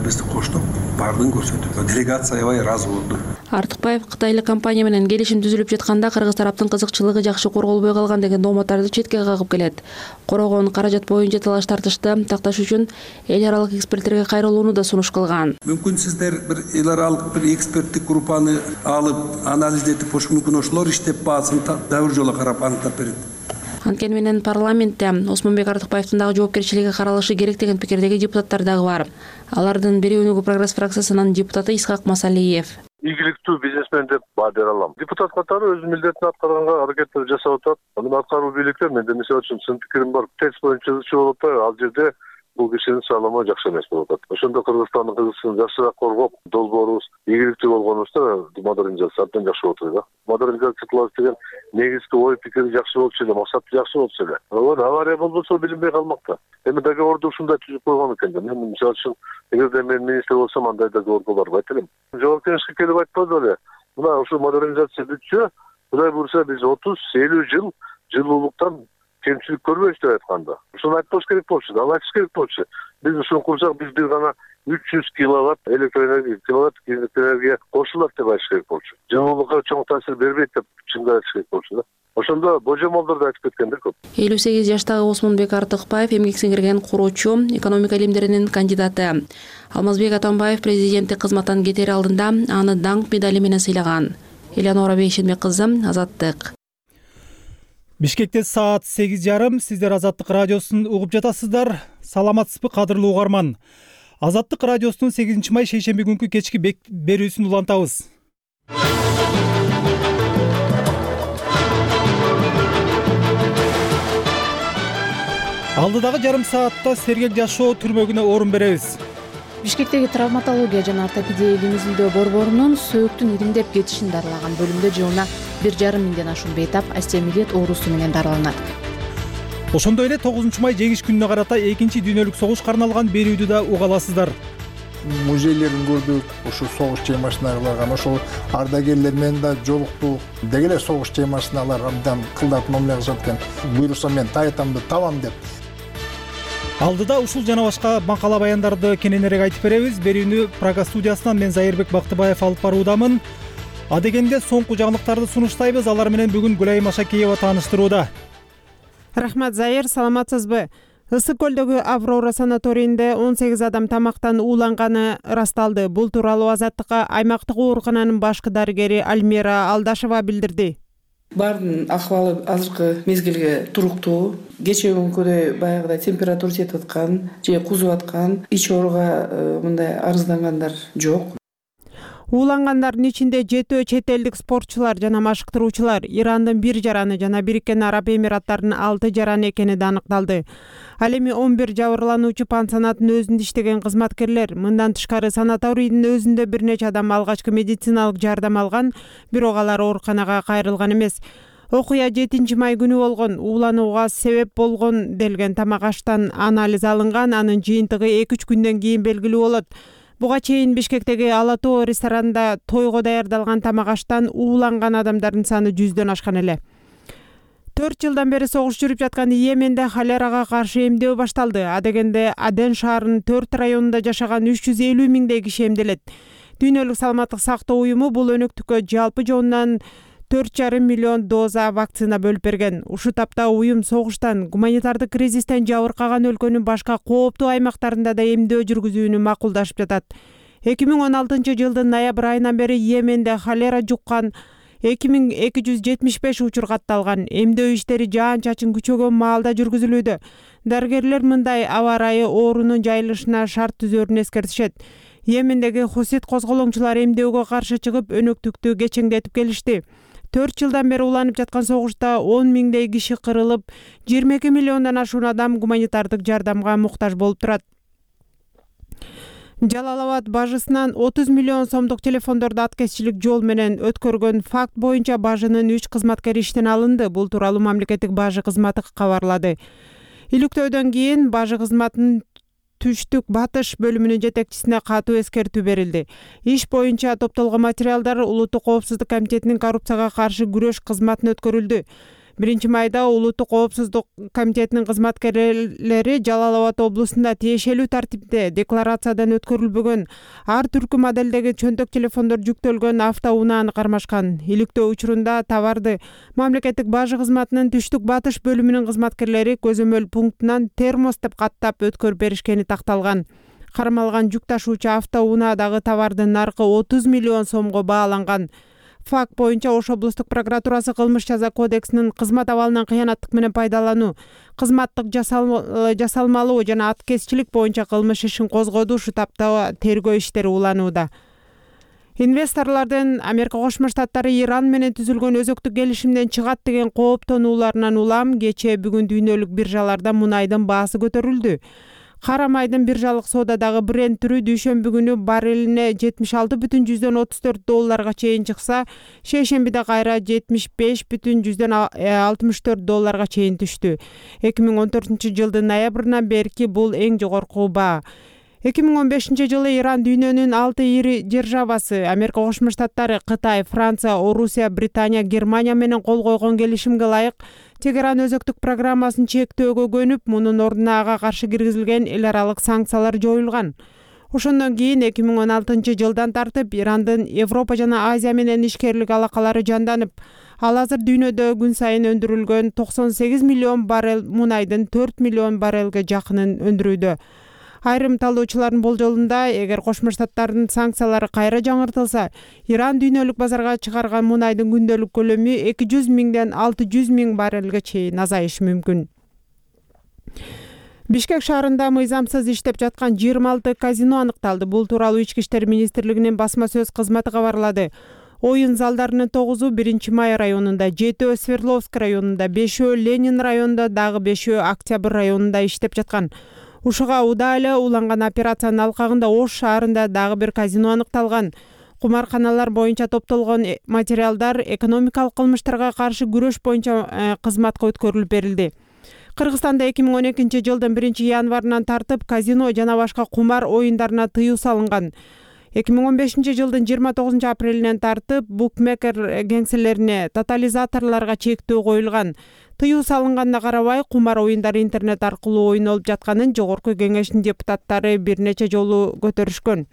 бизди коштоп, баардыгын көрсөттү. Делегация аябай ыраазы болду. Артыкбаев Кытайлык компания менен келишим түзүлүп жатканда Кыргыз тараптын кызыкчылыгы жакшы корголбой калган деген дооматтарды четке кагып келет. Корогон каражат боюнча талаш тартышты такташ үчүн эл аралык эксперттерге кайрылууну да сунуш кылган. Мүмкүн сиздер бир эл аралык бир эксперттик группаны алып, анализдетип, мүмкүн ошолор иштеп баасын да бир жолу карап аныктап берет. Анткени менен парламентте Осмонбек Артыкбаевдин дагы жоопкерчилиги каралышы керек деген пикирдеги депутаттар дагы бар. Алардын бирөөнүгү Прогресс фракциясынын депутаты Исхак Масалиев. Ийгиликтүү бизнесмен деп баа бере алам. Депутат катары өз милдетин аткарганга аракеттер жасап атат. Анын аткаруу бийликтер менде мисалы үчүн сын пикирим бар. ТЭЦ боюнча болуп атпайбы? Ал жерде бул кишинин саалама жакшы эмес болуп атат. Ошондо Кыргызстандын кызыкчылыгын жакшыраак коргоп, долбоорубуз ийгиликтүү болгонубузда модернизация абдан жакшы болот эле. Модернизация кылабыз деген негизги ой пикири жакшы болчу эле, максаты жакшы болчу эле. Авария болбосо билинбей калмак да. Эми договорду ушундай түзүп койгон экен. Мен мисалы үчүн эгерде мен министр болсом андай договор болорду айт элем. Жогорку кеңешке келип айтпады беле. Мына ушу модернизация бүтсө, Кудай буйрса биз 30-50 жыл жылуулуктан кемчилик көрбөйбүз деп айтканда. Ушуну айтпаш керек болчу, ал айтыш керек болчу. Биз ушуну курсак, биз бир гана 300 киловатт электроэнергия кошулат деп айтыш керек болчу. Жылуулукка чоң таасир бербейт деп чындап айтыш керек болчу да. Ошондо божомолдор да айтып кеткендер көп. 58 жаштагы Осмонбек Артыкбаев эмгек сиңирген куруучу, экономика илимдеринин кандидаты. Алмазбек Атамбаев президенттик кызматтан кетер алдында аны даңк медали менен сыйлаган. Элеонора Бейшенбек кызы, Азаттык. Бишкекте саат 8:30. Сиздер Азаттык радиосун угуп жатасыздар. Саламатсызбы, кадырлуу угарман? Азаттык радиосунун 8 май шейшемби күнкү кечки берүүсүн улантабыз. Алдыдагы жарым саатта сергек жашоо түрмөгүнө орун беребиз. Бишкектеги травматология жана ортопедия илимизилдөө борборунун сөөктүн иримдеп кетишин дарылаган бөлүмдө жылына 1,5 миңден ашуун бейтап остеомиелит оорусу менен дарыланат. Ошондой эле 9 май жеңиш күнүнө карата 2-чи дүйнөлүк согушка арналган берүүдү да уга аласыздар. Музейлерин көрдүк, ушул согуш темасына арналган, ошол ардагерлер менен да жолуктук. Деги эле согуш темасына алар абдан кылдат мамиле кылышат экен. Буйрукса мен таятамды табам деп. Алдыда ушул жана башка макала баяндарды кененирээк айтып беребиз. Берүүнү Прага студиясынан мен Зайырбек Бактыбаев алып баруудамын. Адегенде соңку жаңылыктарды сунуштайбыз. Алар менен бүгүн Гүлайым Ашакеева тааныштырууда. Рахмат, Зайыр, саламатсызбы? Ысык көлдөгү Аврора санаторийинде 18 адам тамактан ууланганы расталды. Бул тууралуу Азаттыкка аймактык оорукананын башкы дарыгери Альмира Алдашева билдирди. Бардын акыбалы азыркы мезгилге туруктуу. Кечээ күнкүдөй баягыдай температура жетип аткан же кузуп аткан, ич ооруга мындай арыздангандар жок. Уулангандардын ичинде 7 чет элдик спортчулар жана машыктыруучулар, Ирандын 1 жараны жана Бириккен Араб Эмираттарынын 6 жараны экени да аныкталды. Ал эми 11 жабырлануучу пансионаттын өзүндө иштеген кызматкерлер, мындан тышкары санаторийдин өзүндө бир нече адам алгачкы медициналык жардам алган, бирок алар ооруканага кайрылган эмес. Окуя 7 май күнү болгон. Ууланууга себеп болгон делген тамак аштан анализ алынган, анын жыйынтыгы 2-3 күндөн кийин белгилүү болот. Буга чейин Бишкектеги Ала Тоо ресторанында тойго даярдалган тамак аштан ууланган адамдардын саны 100дөн ашкан эле. 4 жылдан бери согуш жүрүп жаткан Йеменде холерага каршы эмдөө башталды. Адегенде Аден шаарынын 4 районунда жашаган 350 миңдей киши эмделет. Дүйнөлүк саламаттык сактоо уюму бул өнөктүккө жалпы жонунан 4,5 миллион доза вакцина бөлүп берген. Ушу тапта уюм согуштан, гуманитардык кризистен жабыркаган өлкөнүн башка кооптуу аймактарында да эмдөө жүргүзүүнү макулдашып жатат. 2016 жылдын ноябрь айынан бери Йеменде холера жуккан 2275 учур катталган. Эмдөө иштери жаан-чачын күчөгөн маалда жүргүзүлүүдө. Дарыгерлер мындай аба ырайы оорунун жайылышына шарт түзөрүн эскертишет. Йемендеги хусит козголоңчулар эмдөөгө каршы чыгып, өнөктүктү кечеңдетип келишти. 4 жылдан бери уланып жаткан согушта 10 миңдей киши кырылып, 22 миллиондон ашуун адам гуманитардык жардамга муктаж болуп турат. Жалал-Абад бажысынан 30 миллион сомдук телефондорду аткезчилик жол менен өткөргөн факт боюнча бажынын 3 кызматкери иштен алынды. Бул тууралуу мамлекеттик бажы кызматы кабарлады. Иликтөөдөн кийин бажы кызматынын түштүк батыш бөлүмүнүн жетекчисине катуу эскертүү берилди. Иш боюнча топтолгон материалдар Улуттук коопсуздук комитетинин коррупцияга каршы күрөш кызматына өткөрүлдү. 1 майда Улуттук коопсуздук комитетинин кызматкерлери Жалал-Абад облусунда тиешелүү тартипте декларациядан өткөрүлбөгөн ар түркү моделдеги чөнтөк телефондор жүктөлгөн автоунааны кармашкан. Иликтөө учурунда товарды мамлекеттик бажы кызматынын түштүк батыш бөлүмүнүн кызматкерлери көзөмөл пунктунан термос деп каттап өткөрүп беришкени такталган. Кармалган жүк ташуучу автоунаадагы товардын наркы 30 миллион сомго бааланган. Факт боюнча Ош облустук прокуратурасы кылмыш жаза кодексинин кызмат абалынан кыянаттык менен пайдалануу, кызматтык жасалмалуу жана аткезчилик боюнча кылмыш ишин козгоду. Ушу тапта тергөө иштери уланууда. Инвесторлордун Америка Кошмо Штаттары Иран менен түзүлгөн өзөктүк келишимден чыгат деген кооптонууларынан улам кечээ бүгүн дүйнөлүк биржаларда мунайдын баасы көтөрүлдү. Кара майдын биржалык соодадагы Brent түрү дүйшөмбү күнү баррелине $76,4 чейин чыкса, шейшембиде кайра $75,64 чейин түштү. 2014 жылдын ноябрынан берки бул эң жогорку баа. 2015 Иран дүйнөнүн 6 ири державасы Америка Кошмо Штаттары, Кытай, Франция, Орусия, Британия, Германия менен кол койгон келишимге ылайык Тегеран өзөктүк программасын чектөөгө көнүп, мунун ордуна ага каршы киргизилген эл аралык санкциялар жоюлган. Ошондон кийин 2016 тартып Ирандын Европа жана Азия менен ишкерлик алакалары жанданып, ал азыр дүйнөдө күн сайын өндүрүлгөн 98 миллион баррель мунайдын 4 миллион баррелге жакынын өндүрүүдө. Айрым талоочулардын болжолунда, эгер Кошмо Штаттардын санкциялары кайра жаңыртылса, Иран дүйнөлүк базарга чыгарган мунайдын күндөлүк көлөмү 200 миңден 600 миң баррелге чейин азайышы мүмкүн. Бишкек шаарында мыйзамсыз иштеп жаткан 26 казино аныкталды. Бул тууралуу Ички иштер министрлигинин басма сөз кызматы кабарлады. Оюн залдарынын 9-у 1-Май районунда, 7-өө Свердловск районунда, 5-өө Ленин районунда, дагы 5-өө Октябрь районунда иштеп жаткан. Ушуга удаа эле уланган операциянын алкагында Ош шаарында дагы бир казино аныкталган. Кумарканалар боюнча топтолгон материалдар экономикалык кылмыштарга каршы күрөш боюнча кызматка өткөрүлүп берилди. Кыргызстанда 2012 1 январынан тартып казино жана башка кумар оюндарына тыюу салынган. 2015 жылдын 29 апрелинен тартып букмекер кеңселерине, тотализаторлорго чектөө коюлган. Тыюу салынганына карабай, кумар оюндары интернет аркылуу ойнолуп жатканын Жогорку Кеңештин депутаттары бир нече жолу көтөрүшкөн.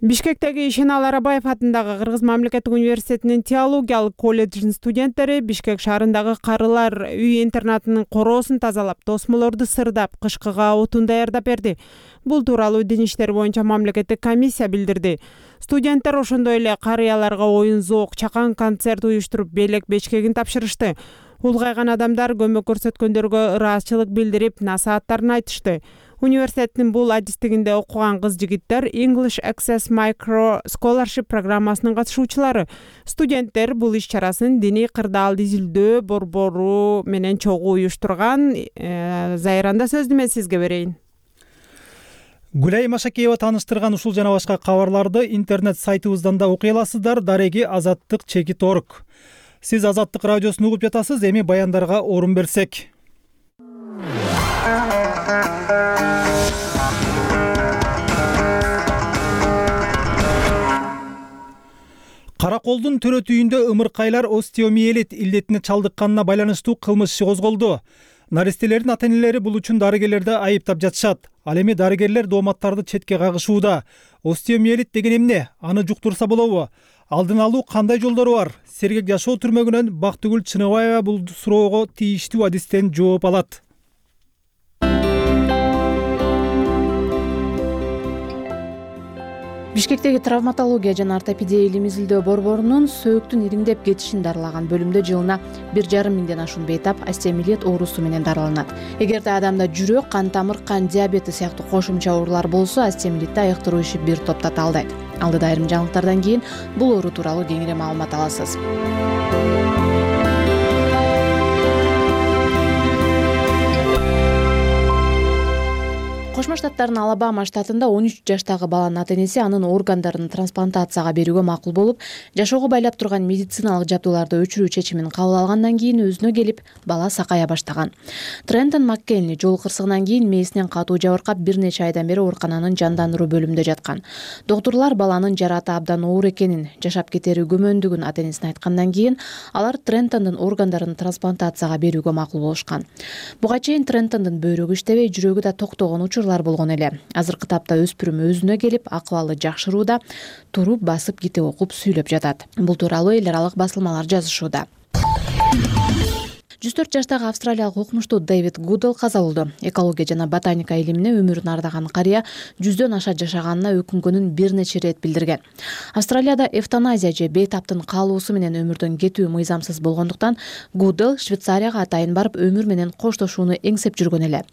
Бишкектеги Ишенал Арабаев атындагы Кыргыз мамлекеттик университетинин теологиялык колледжинин студенттери Бишкек шаарындагы карылар үй интернатынын короосун тазалап, тосмолорду сырдап, кышкыга отун даярдап берди. Бул тууралуу дин иштери боюнча мамлекеттик комиссия билдирди. Студенттер ошондой эле карыяларга оюн зоок, чакан концерт уюштуруп, белек бечкегин тапшырышты. Улгайган адамдар көмөк көрсөткөндөргө ыраазычылык билдирип, насааттарын айтышты. Университеттин бул адистигинде окуган кыз-жигиттер English Access Micro Scholarship программасынын катышуучулары. Студенттер бул иш-чарасын диний кырдаалды изилдөө борбору менен чогуу уюштурган. Зайранда сөздү мен сизге берейин. Гүлай Машакеева тааныштырган ушул жана башка кабарларды интернет сайтыбыздан да окуй аласыздар. Дареги Азаттык.org. Сиз Азаттык радиосун угуп жатасыз. Эми баяндарга орун берсек. Караколдун төрөт үйүндө ымыркайлар остеомиелит илдетине чалдыкканына байланыштуу кылмыш иши козголду. Наристелердин ата-энелери бул үчүн дарыгерлерди айыптап жатышат. Ал эми дарыгерлер дооматтарды четке кагышууда. Остеомиелит деген эмне? Аны жуктурса болобу? Алдын алуу кандай жолдору бар? Сергек жашоо түрмөгүнөн Бактыгүл Чыныбаева бул суроого тийиштүү адистен жооп алат. Бишкектеги травматология жана ортопедия илим изилдөө борборунун сөөктүн ириңдеп кетишин дарылаган бөлүмдө жылына 1,5 миңден ашуун бейтап остеомиелит оорусу менен дарыланат. Эгерде адамда жүрөк, кан тамыр, кан диабети сыяктуу кошумча оорулар болсо, остеомиелитти айыктыруу иши бир топто талдайт. Алдыда айрым жаңылыктардан кийин бул оору тууралуу кеңири маалымат аласыз. Кошмо Штаттардын Алабама штатында 13 жаштагы баланын ата-энеси анын органдарын трансплантацияга берүүгө макул болуп, жашоого байлап турган медициналык жабдууларды өчүрүү чечимин кабыл алгандан кийин өзүнө келип, бала сакая баштаган. Трентон Маккенли жол кырсыгынан кийин мээсинен катуу жабыркап бир нече айдан бери оорукананын жандандыруу бөлүмүндө жаткан. Доктурлар баланын жараты абдан оор экенин, жашап кетери күмөндүгүн ата-энесине айткандан кийин алар Трентондун органдарын трансплантацияга берүүгө макул болушкан. Буга чейин Трентондун бөйрөгү иштебей, жүрөгү да токтогон учурлар болгон эле. Азыркы тапта өспүрүм өзүнө келип, акыбалы жакшырууда, туруп, басып, китеп окуп сүйлөп жатат. Бул тууралуу эл аралык басылмалар жазышууда. 104 жаштагы австралиялык окумуштуу Дэвид Гудел каза болду. Экология жана ботаника илимине өмүрүн ардаган карыя 100дөн аша жашаганына өкүнгөнүн бир нече ирет билдирген. Австралияда эвтаназия же бейтаптын каалоосу менен өмүрдөн кетүү мыйзамсыз болгондуктан Гудел Швейцарияга атайын барып өмүр менен коштошууну эңсеп жүргөн эле.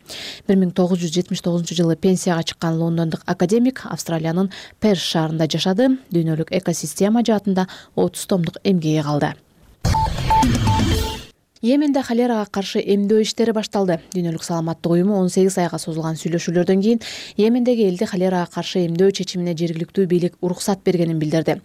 1979-жылы пенсияга чыккан лондондук академик Австралиянын Перс шаарында жашады. Дүйнөлүк экосистема жаатында 30 томдук эмгеги калды. Йеменде холерага каршы эмдөө иштери башталды. Дүйнөлүк саламаттык уюму 18 айга созулган сүйлөшүүлөрдөн кийин Йемендеги элди холерага каршы эмдөө чечимине жергиликтүү бийлик уруксат бергенин билдирди.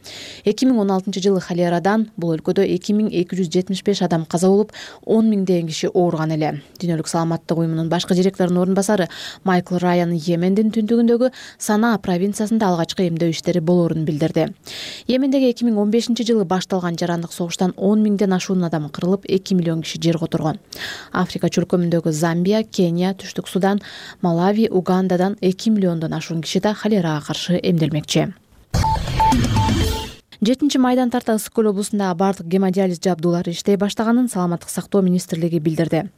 2016-жылы холерадан бул өлкөдө 2275 адам каза болуп, 10 миңдеген киши ооруган эле. Дүйнөлүк саламаттык уюмунун башкы директорунун орун басары Майкл Райан Йемендин түндүгүндөгү Санаа провинциясында алгачкы эмдөө иштери болоорун билдирди. Йемендеги 2015-жылы башталган жарандык согуштан 10 миңден ашуун адам кырылып, 2 миллион киши жер которгон. Африка чөлкөмүндөгү Замбия, Кения, Түштүк Судан, Малави, Угандадан 2 миллиондон ашуун киши да холерага каршы эмделмекчи. 7-майдан тарта Ысык көл облусундагы бардык гемодиализ жабдуулары иштей баштаганын Саламаттык сактоо министрлиги билдирди.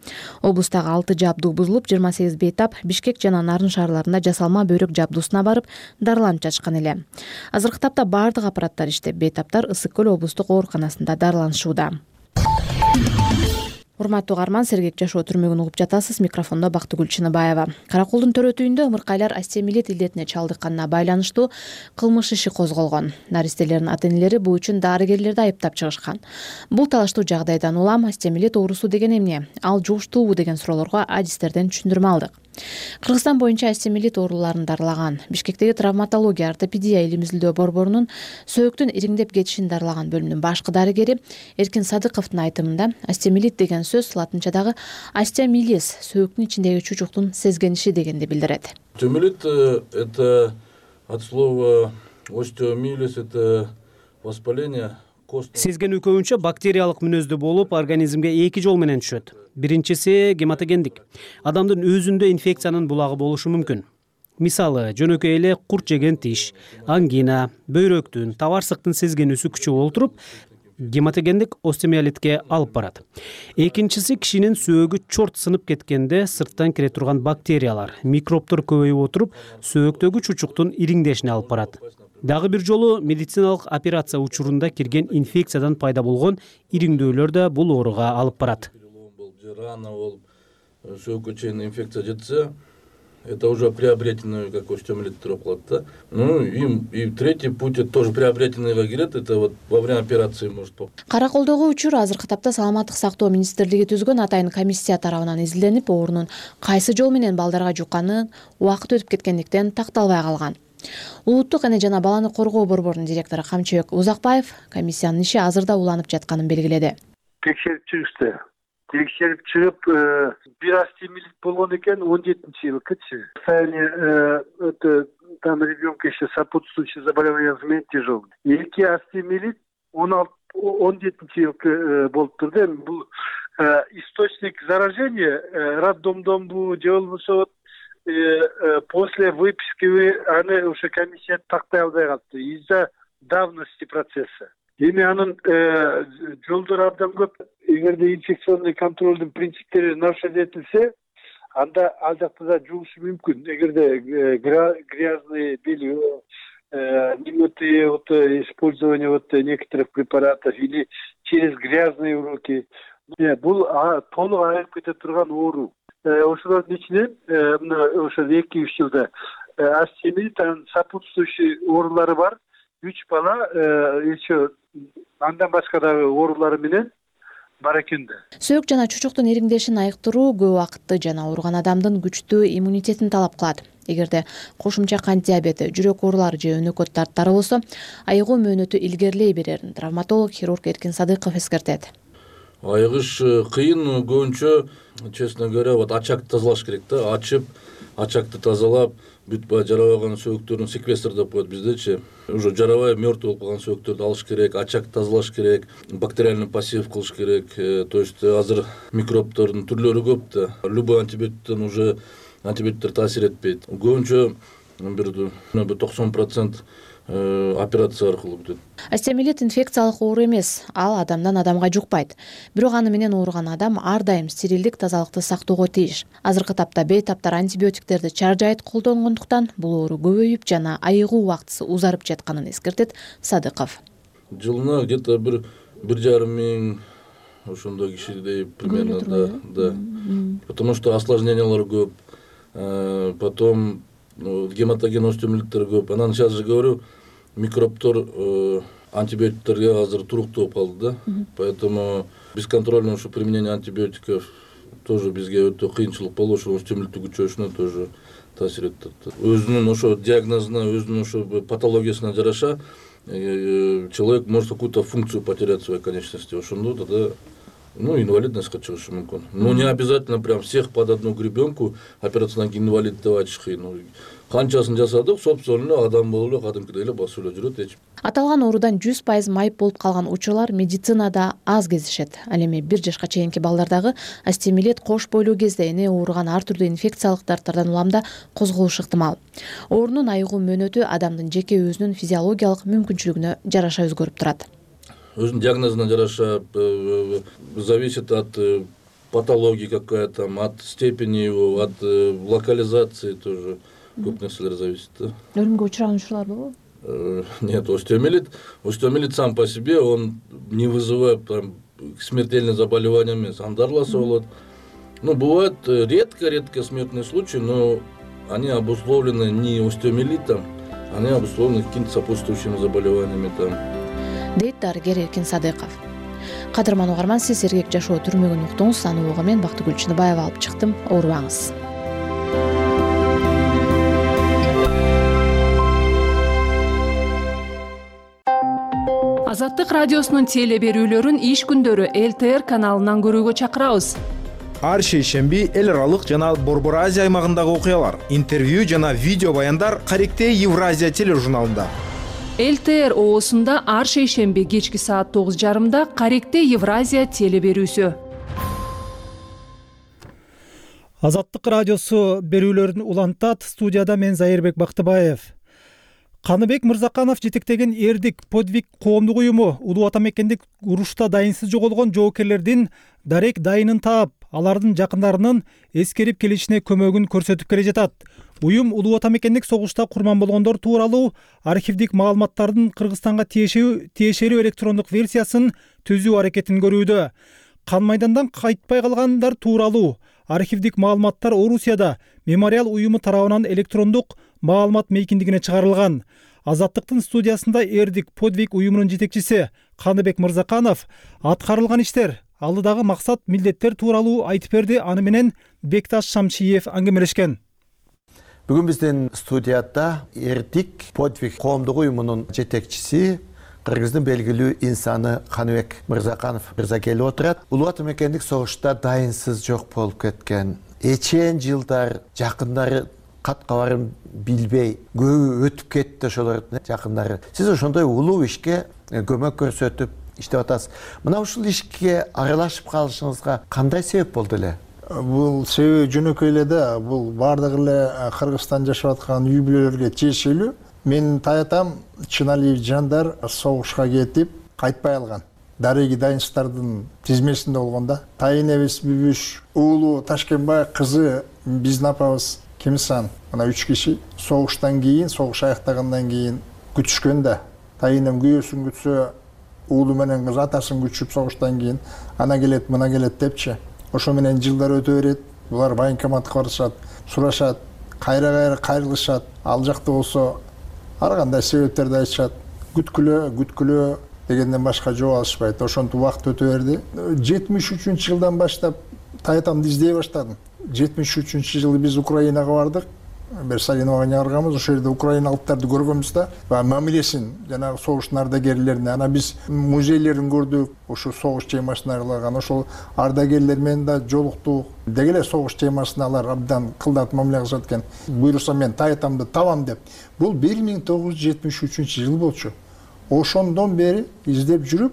Облустагы 6 жабдуу бузулуп, 28 бейтап Бишкек жана Нарын шаарларында жасалма бөйрөк жабдуусуна барып, дарыланып жатышкан эле. Азыркы тапта бардык аппараттар иштеп, бейтаптар Ысык көл облустук ооруканасында дарыланышууда. Урматтуу угарман, сергек жашоо түрмөгүн угуп жатасыз. Микрофондо Бактыгүл Чыныбаева. Караколдун төрөтүйүндө ымыркайлар остеомиелит илдетине чалдыкканына байланыштуу кылмыш иши козголгон. Наристелердин ата-энелери бул үчүн дарыгерлерди айыптап чыгышкан. Бул талаштуу жагдайдан улам остеомиелит оорусу деген эмне? Ал жугуштуубу деген суроолорго адистерден түшүндүрмө алдык. Кыргызстан боюнча остеомиелит ооруларын дарылаган Бишкектеги травматология ортопедия илим изилдөө борборунун сөөктүн ириңдеп кетишин дарылаган бөлүмүнүн башкы дарыгери Эркин Садыковдун айтымында остеомиелит деген сөз латынчадагы остеомилис сөөктүн ичиндеги чучуктун сезгениши дегенди билдирет. Остеомиелит это от слова остеомилис, это воспаление. Сезгенүү көбүнчө бактериялык мүнөздүү болуп, организмге эки жол менен түшөт. Биринчиси гематогендик. Адамдын өзүндө инфекциянын булагы болушу мүмкүн. Мисалы, жөнөкөй эле курт жеген тиш, ангина, бөйрөктүн, табарсыктын сезгенүүсү күчөп олтуруп, гематогендик остеомиелитке алып барат. Экинчиси кишинин сөөгү чорт сынып кеткенде сырттан кире турган бактериялар, микробтор көбөйүп отуруп, сөөктөгү чучуктун ириңдешине алып барат. Дагы бир жолу медициналык операция учурунда кирген инфекциядан пайда болгон ириңдөөлөр да бул ооруга алып барат. Рана болуп, сөөгкө чейин инфекция жетсе, это уже приобретенный, как остеомиелит туруп калат да. Ну и третий путь, это тоже приобретенныйга кирет, это вот во время операции может попасть. Караколдогу учур азыркы тапта Саламаттык сактоо министрлиги түзгөн атайын комиссия тарабынан изилденип, оорунун кайсы жол менен балдарга жукканы убакыт өтүп кеткендиктен такталбай калган. Улуттук эне жана баланы коргоо борборунун директору Камчыбек Узакбаев комиссиянын иши азырда уланып жатканын белгиледи. Текшерип чыгышты. Текшерип чыгып, бир остеомиелит болгон экен 17-жылкычы. Состояние там ребенка еще сопутствующие заболевания тяжелые. Эки остеомиелит 17-жылкы болуп турду. Бул источник заражения роддомдон бу же болбосо после выписки аны уже комиссия тактай албай калды из-за давности процесса. Эми анын жолдору абдан көп. Эгерде инфекционный контролдун принциптери нарушать этилсе, анда ал жакта да жугушу мүмкүн. Эгерде грязный белье, немытые использование некоторых препаратов или через грязные руки. Бул толук айырып кете турган оору. Ошолордун ичинен ошо 2-3 жылда остеомиелит, сопутствующий оорулары бар. 3 бала еще андан башка дагы оорулары менен бар экен да. Сөөк жана чучуктун ириңдешин айыктыруу көп убакытты жана ооруган адамдын күчтүү иммунитетин талап кылат. Эгерде кошумча кант диабети, жүрөк оорулары же өнөкөт дарттары болсо, айыгуу мөөнөтү илгерилей берерин травматолог хирург Эркин Садыков эскертет. Айыгыш кыйын, көбүнчө, честно говоря, вот очакты тазалаш керек да. Очакты тазалап, бүтпай жарабаган сөөктөрүн секвестр деп коет биздечи. Уже жарабай мертвый болуп калган сөөктөрдү алыш керек, очак тазалаш керек, бактериальный посев кылыш керек. То есть азыр микробтордун түрлөрү көп да. Любой антибиотиктен уже антибиотиктер таасир этпейт. Көбүнчө бир 90% операция аркылуу бүтөт. Остеомиелит инфекциялык оору эмес, ал адамдан адамга жукпайт. Бирок аны менен ооруган адам ар дайым стерилдик тазалыкты сактоого тийиш. Азыркы тапта бейтаптар антибиотиктерди чаржайыт колдонгондуктан бул оору көбөйүп жана айыгуу убактысы узарып жатканын эскертет Садыков. Жылына где-то 1,5 миң ошондой кишидей примерно, да. Потому что осложнениялар көп. Потом гематоген остеомиелиттер көп. Анан сейчас же говорю, микробтор антибиотиктерге азыр туруктуу болуп калды да. Поэтому бесконтрольное ушу применение антибиотиков тоже бизге өтө кыйынчылык болуп, ошо өстөмдүктү күчөшүнө тоже таасир этет. Өзүнүн ошо диагнозуна, өзүнүн ошо патологиясына жараша человек может какую-то функцию потерять в своей конечности. Ошондо тогда инвалидностька чыгышы мүмкүн. Но не обязательно прям всех под одну гребенку операциядан кийин инвалид деп айтыш кыйын. Канчасын жасадык, собственно адам болуп эле кадимкидей эле басып эле жүрөт эч. Аталган оорудан 100% майып болуп калган учурлар медицинада аз кездешет. Ал эми 1 жашка чейинки балдардагы астемилет кош бойлуу кезде эне ооруган ар түрдүү инфекциялык дарттардан уламда козголушу ыктымал. Оорунун айыгуу мөөнөтү адамдын жеке өзүнүн физиологиялык мүмкүнчүлүгүнө жараша өзгөрүп турат. Өзүнүн диагнозуна жараша зависит от патологии какая-то, от степени его, от локализации тоже көп нерселер зависит. Өлүмгө учураган учурлар болобу? Нет, остеомилит сам по себе, он не вызывает смертельные заболевания эмес, андарласа болот. Бывают редко смертные случаи, но они обусловлены не остеомилитом, они обусловлены какими-то сопутствующими заболеваниями там. Дейт дарыгер Эркин Садыков. Кадырман угарман, сиз сергек жашоо түрмөгүн уктуңуз. Аны угуу мен Бактыгүл Чыныбаева алып чыктым. Оорубаңыз. Азаттык радиосунун теле берүүлөрүн иш күндөрү ЛТР каналынан көрүүгө чакырабыз. Ар шейшемби эл аралык жана Борбор Азия аймагындагы окуялар, интервью жана видео баяндар Каректе Евразия тележурналында. ЛТР оосунда ар шейшемби кечки саат 9:30 Каректе Евразия теле берүүсү. Азаттык радиосу берүүлөрүн улантат. Студияда мен Зайырбек Бактыбаев. Каныбек Мырзаканов жетектеген Эрдик подвиг коомдук уюму улуу ата мекендик урушта дайынсыз жоголгон жоокерлердин дарек дайынын таап, алардын жакындарынын эскерип келишине көмөгүн көрсөтүп келе жатат. Уюм улуу ата мекендик согушта курман болгондор тууралуу архивдик маалыматтардын Кыргызстанга тиешелүү электрондук версиясын түзүү аракетин көрүүдө. Кан майдандан кайтпай калгандар тууралуу архивдик маалыматтар Орусияда мемориал уюму тарабынан электрондук маалымат мейкиндигине чыгарылган. Азаттыктын студиясында Эрдик подвиг уюмунун жетекчиси Каныбек Мырзаканов аткарылган иштер, алдыдагы максат, милдеттер тууралуу айтып берди. Аны менен Бекташ Шамшиев аңгемелешкен. Бүгүн биздин студияда Эрдик подвиг коомдук уюмунун жетекчиси, Кыргыздын белгилүү инсаны Каныбек Мырзаканов мырза келип отурат. Улуу ата мекендик согушта дайынсыз жок болуп кеткен, эчен жылдар жакындары кат-кабарын билбей көбү өтүп кетти ошолордун жакындары. Сиз ошондой улуу ишке көмөк көрсөтүп иштеп атасыз. Мына ушул ишке аралашып калышыңызга кандай себеп болду эле? Бул себеби жөнөкөй эле да, бул бардык эле Кыргызстан жашап аткан үй бүлөлөргө тиешелүү. Менин таятам Чыналиев Жандар согушка кетип кайтпай алган. Дареги дайынсыздардын тизмесинде болгон да. Тайын эбес Бүбүш, уулу Ташкенбай, кызы биздин апабыз Кемсан, мына 3 киши согуштан кийин, согуш аяктагандан кийин күтүшкөн да. Тайынын күйөөсүн күтсө, уулу менен кыз атасын күтүшүп согуштан кийин, ана келет, мына келет депчи. Ошо менен жылдар өтө берет. Булар военкоматка барышат, сурашат, кайра кайрылышат. Ал жакта болсо ар кандай себептерди айтышат. Күткүлө дегенден башка жооп алышпайт. Ошентип убакыт өтө берди. 73-жылдан баштап таятамды издей баштадым. 73-жылы биз Украинага бардык. Берсалиновага чыгарганбыз. Ошол жерде Украина алыптарды көргөнбүз да. Мамилесин жанагы согуштун ардагерлерине, ана биз музейлерин көрдүк. Ошо согуш темасына арналган. Ошол ардагерлер менен да жолуктук. Деги эле согуш темасына алар абдан кылдат мамиле кылышат экен. Буйрукса мен таятамды табам деп. Бул 1973-жыл болчу. Ошондон бери издеп жүрүп,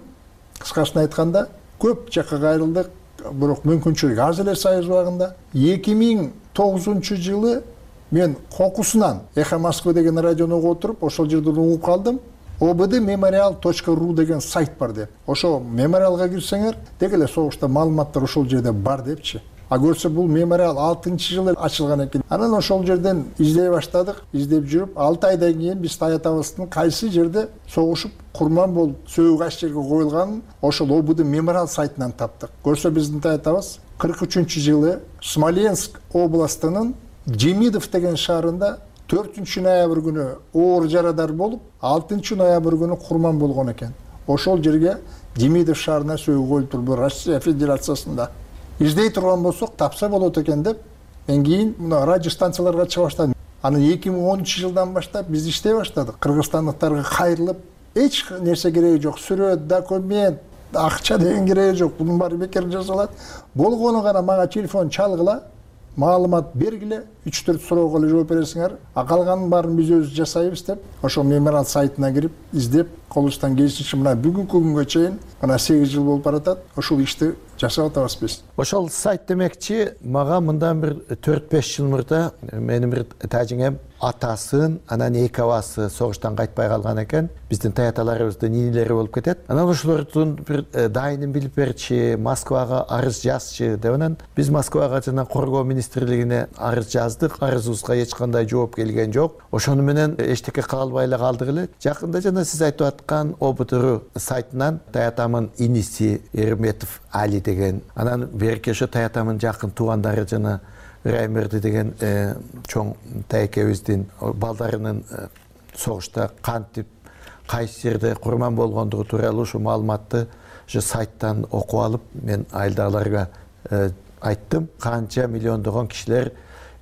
кыскасын айтканда, көп жакка кайрылдык, бирок мүмкүнчүлүк аз эле Союз убагында. 2009-жылы мен кокусунан Эхо Москвы деген радиону угуп отуруп, ошол жерден угуп калдым. obdmemorial.ru деген сайт бар деп. Ошо мемориалга кирсеңер, деги эле согушта маалыматтар ошол жерде бар депчи. А көрсө бул мемориал 6-жылы ачылган экен. Анан ошол жерден издей баштадык, издеп жүрүп, 6 айдан кийин биз таятабыздын кайсы жерде согушуп, курман болуп, сөөгү кайсы жерге коюлганын ошол обд мемориал сайтынан таптык. Көрсө биздин таятабыз 43-жылы Смоленск областынын Демидов деген шаарында 4 ноябрь күнү оор жарадар болуп, 6 ноябрь күнү курман болгон экен. Ошол жерге Демидов шаарына сөөгө өлтүрүлдү Россия Федерациясында. Издей турган болсок тапса болот экен деп, мен кийин мына радио станцияларга чыга баштадым. Аны 2013 жылдан баштап биз иштей баштадык. Кыргызстандыктарга кайрылып, эч нерсе кереги жок. Сүрөт, документ, акча деген кереги жок. Бунун баары бекер жасалат. Болгону гана мага телефон чалгыла, маалымат бергиле, 3-4 суроого эле жооп бересиңер. А калганын баарын биз өзүбүз жасайбыз деп, ошол мемориал сайтына кирип, издеп, колубуздан келишинче мына бүгүнкү күнгө чейин, мына 8 жыл болуп баратат, ошол ишти жасап атабыз биз. Ошол сайт демекчи, мага мындан бир 4-5 жыл мурда менин бир тажиңем атасын, анан 2 абасы согуштан кайтпай калган экен. Биздин таяталарыбыздын нинелери болуп кетет. Анан ошолордун бир дайынын билип берчи, Москвага арыз жазчы деп анан биз Москвага жана Коргоо министрлигине арыз жаздык. Арызыбызга эч кандай жооп келген жок. Ошону менен эчтеке кыла албай эле калдык эле. Жакында жана сиз айтып аткан ОБТР сайтынан таятамын иниси Эрметов Али деген, анан берки ошо таятамын жакын туугандары жана Раймерди деген чоң тайкебиздин балдарынын согушта кантип кайсы жерде курман болгондугу тууралуу ушу маалыматты ошо сайттан окуп алып, мен айылдагыларга айттым. Канча миллиондогон кишилер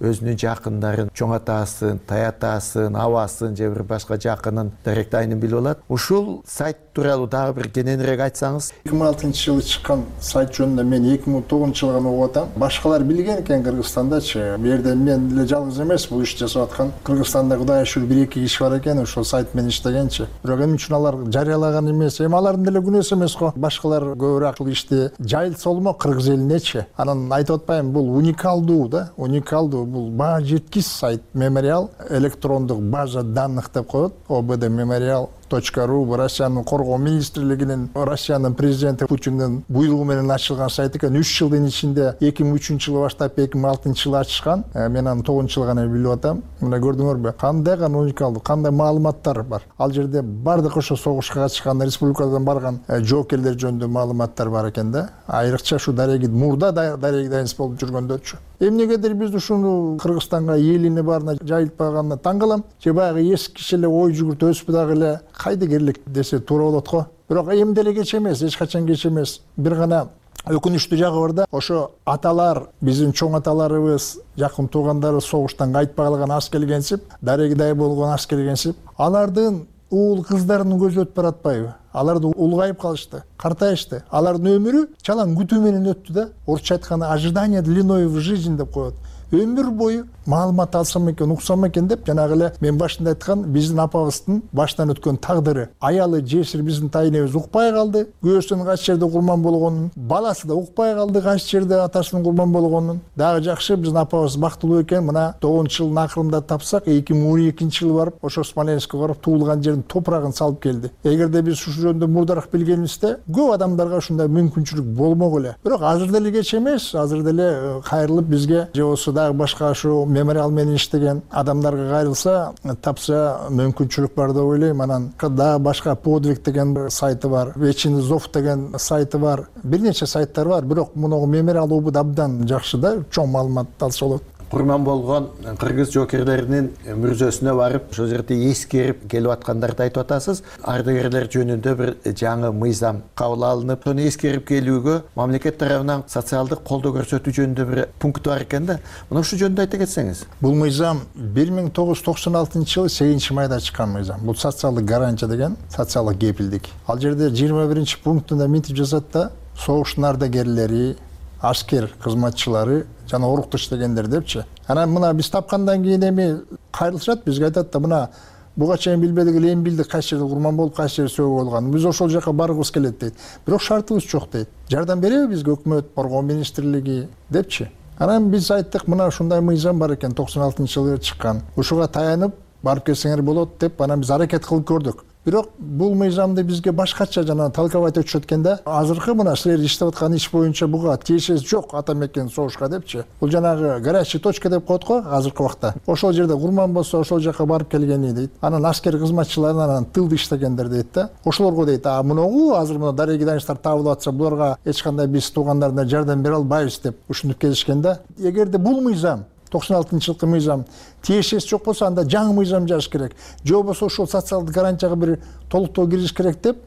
өзүнүн жакындарын, чоң атасын, таятасын, абасын же бир башка жакынын дарек дайынын билип алат. Ушул сайт тууралуу дагы бир кененирээк айтсаңыз. 2006-жылы чыккан сайт жөнүндө мен 2009 жылы гана окуп атам. Башкалар билген экен Кыргызстандачы. Бу жерде мен эле жалгыз эмес бул ишти жасап аткан. Кыргызстанда Кудай шүр 1-2 киши бар экен, ошол сайт менен иштегенчи. Бирок эмне үчүн алар жарыялаган эмес? Алардын деле күнөөсү эмес го. Башкалар көбүрөөк ушул ишти жайылса болмо Кыргыз элинечи. Анан айтып атпайм, бул уникалдуу да, уникалдуу. Бул баа жеткис сайт, мемориал, электрондук база данных деп коет, ОБД мемориал.ру, бу Россиянын Коргоо министрлигинин, Россиянын президенти Путиндин буйругу менен ачылган сайт экен. 3 жылдын ичинде 2003-жылы баштап 2006-жылы ачышкан. Мен аны 9-жылы гана билип атам. Мына көрдүңөрбү? Кандай гана уникалдуу, кандай маалыматтар бар. Ал жерде бардык ошо согушка катышкан, республикадан барган жоокерлер жөнүндө маалыматтар бар экен да. Айрыкча ушу дареги мурда дареги дайыныс болуп жүргөндөрчү. Эмнегедир биз ушуну Кыргызстанга элине барына жайылтпаганына таң калам. Же баягы эски киши эле ой жүгүртүп өсүп дагы эле кайда керлик десе туура болот го. Бирок эмди эле кеч эмес, эч качан кеч эмес. Бир гана өкүнүчтүү жагы бар да, ошо аталар, биздин чоң аталарыбыз, жакын туугандарыбыз согуштан кайтпай калган ас келгенсип, дарегидай болгон ас келгенсип, алардын уул кыздарынын көзү өтүп баратпайбы? Аларды улгайып калышты, картайышты. Алардын өмүрү чалаң күтүү менен өттү да. Орусча айтканда ожидание длиной в жизнь деп коет. Өмүр бою маалымат алсам экен, уксам экен деп, жанагы эле мен башында айткан биздин апабыздын баштан өткөн тагдыры. Аялы жесир биздин тайнебиз укпай калды, күйөөсүнүн кайсы жерде курман болгонун, баласы да укпай калды кайсы жерде атасынын курман болгонун. Дагы жакшы биздин апабыз бактылуу экен, мына 9-жылдын акырында тапсак, 2012-жылы барып, ошо Смоленскке барып туулган жердин топурагын салып келди. Эгерде биз ушу жөнүндө мурдараак билгенибизде, көп адамдарга ушундай мүмкүнчүлүк болмок эле. Бирок азыр деле кеч эмес, азыр деле кайрылып бизге же болсо дагы башка ушу мемориал менен иштеген адамдарга кайрылса, тапса мүмкүнчүлүк бар деп ойлойм. Анан дагы башка подвиг деген сайты бар, Вечный зов деген сайты бар, бир нече сайттар бар. Бирок мунугу мемориал обуд абдан жакшы да, чоң маалымат алса болот. Курман болгон кыргыз жоокерлеринин мүрзөсүнө барып, ошол жерде эскерип келип аткандарды айтып атасыз. Ардагерлер жөнүндө бир жаңы мыйзам кабыл алынып, сону эскерип келүүгө мамлекет тарабынан социалдык колдоо көрсөтүү жөнүндө бир пункт бар экен да. Мына ушул жөнүндө айта кетсеңиз. Бул мыйзам 1996-жылы 8-майда чыккан мыйзам. Бул социалдык гарантия деген, социалдык кепилдик. Ал жерде 21-пунктунда мынтип жазат да, согуштун ардагерлери, аскер кызматчылары жана орукту иштегендер депчи. Анан мына биз тапкандан кийин эми кайрылышат, бизге айтат да, мына буга чейин билбедик эле, эми билдик кайсы жерде курман болуп, кайсы жерде сөөгө болгонун. Биз ошол жака баргыбыз келет дейт. Бирок шартыбыз жок дейт. Жардам береби бизге өкмөт, Коргоо министрлиги депчи. Анан биз айттык, мына ушундай мыйзам бар экен, 96-жылы чыккан. Ушуга таянып барып келсеңер болот деп, анан биз аракет кылып көрдүк. Бирок бул мыйзамды бизге башкача жана талкабайт өтүшөт экен да. Азыркы мына силер иштеп аткан иш боюнча буга тиешеси жок ата мекен согушка депчи. Бул жанагы горячий точка деп коет го азыркы убакта. Ошол жерде курман болсо, ошол жака барып келгени дейт. Анан аскер кызматчыларынан анан тылды иштегендер дейт да. Ошолорго дейт, мунугу азыр мына дареги дайынычтар табылып атса, буларга эч кандай биз туугандарына жардам бере албайбыз деп ушинтип келишкен да. Эгерде бул мыйзам 96-жылкы мыйзам тиешеси жок болсо анда жаңы мыйзам жазыш керек, же болбосо ошол социалдык гарантияга бир толуктоо киргизиш керек деп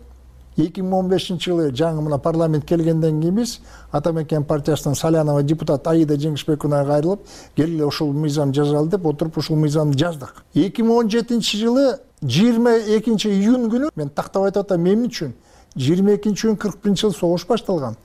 2015-жылы жаңы мына парламент келгенден кийин биз Ата мекен партиясынын Салянова депутат Аида Жеңишбековнага кайрылып, келгиле ошол мыйзам жазалы деп отуруп ошол мыйзамды жаздык. 2017-жылы 22 июнь күнү мен тактап айтып атам эмне үчүн 22 июнь 41-жылы согуш башталган.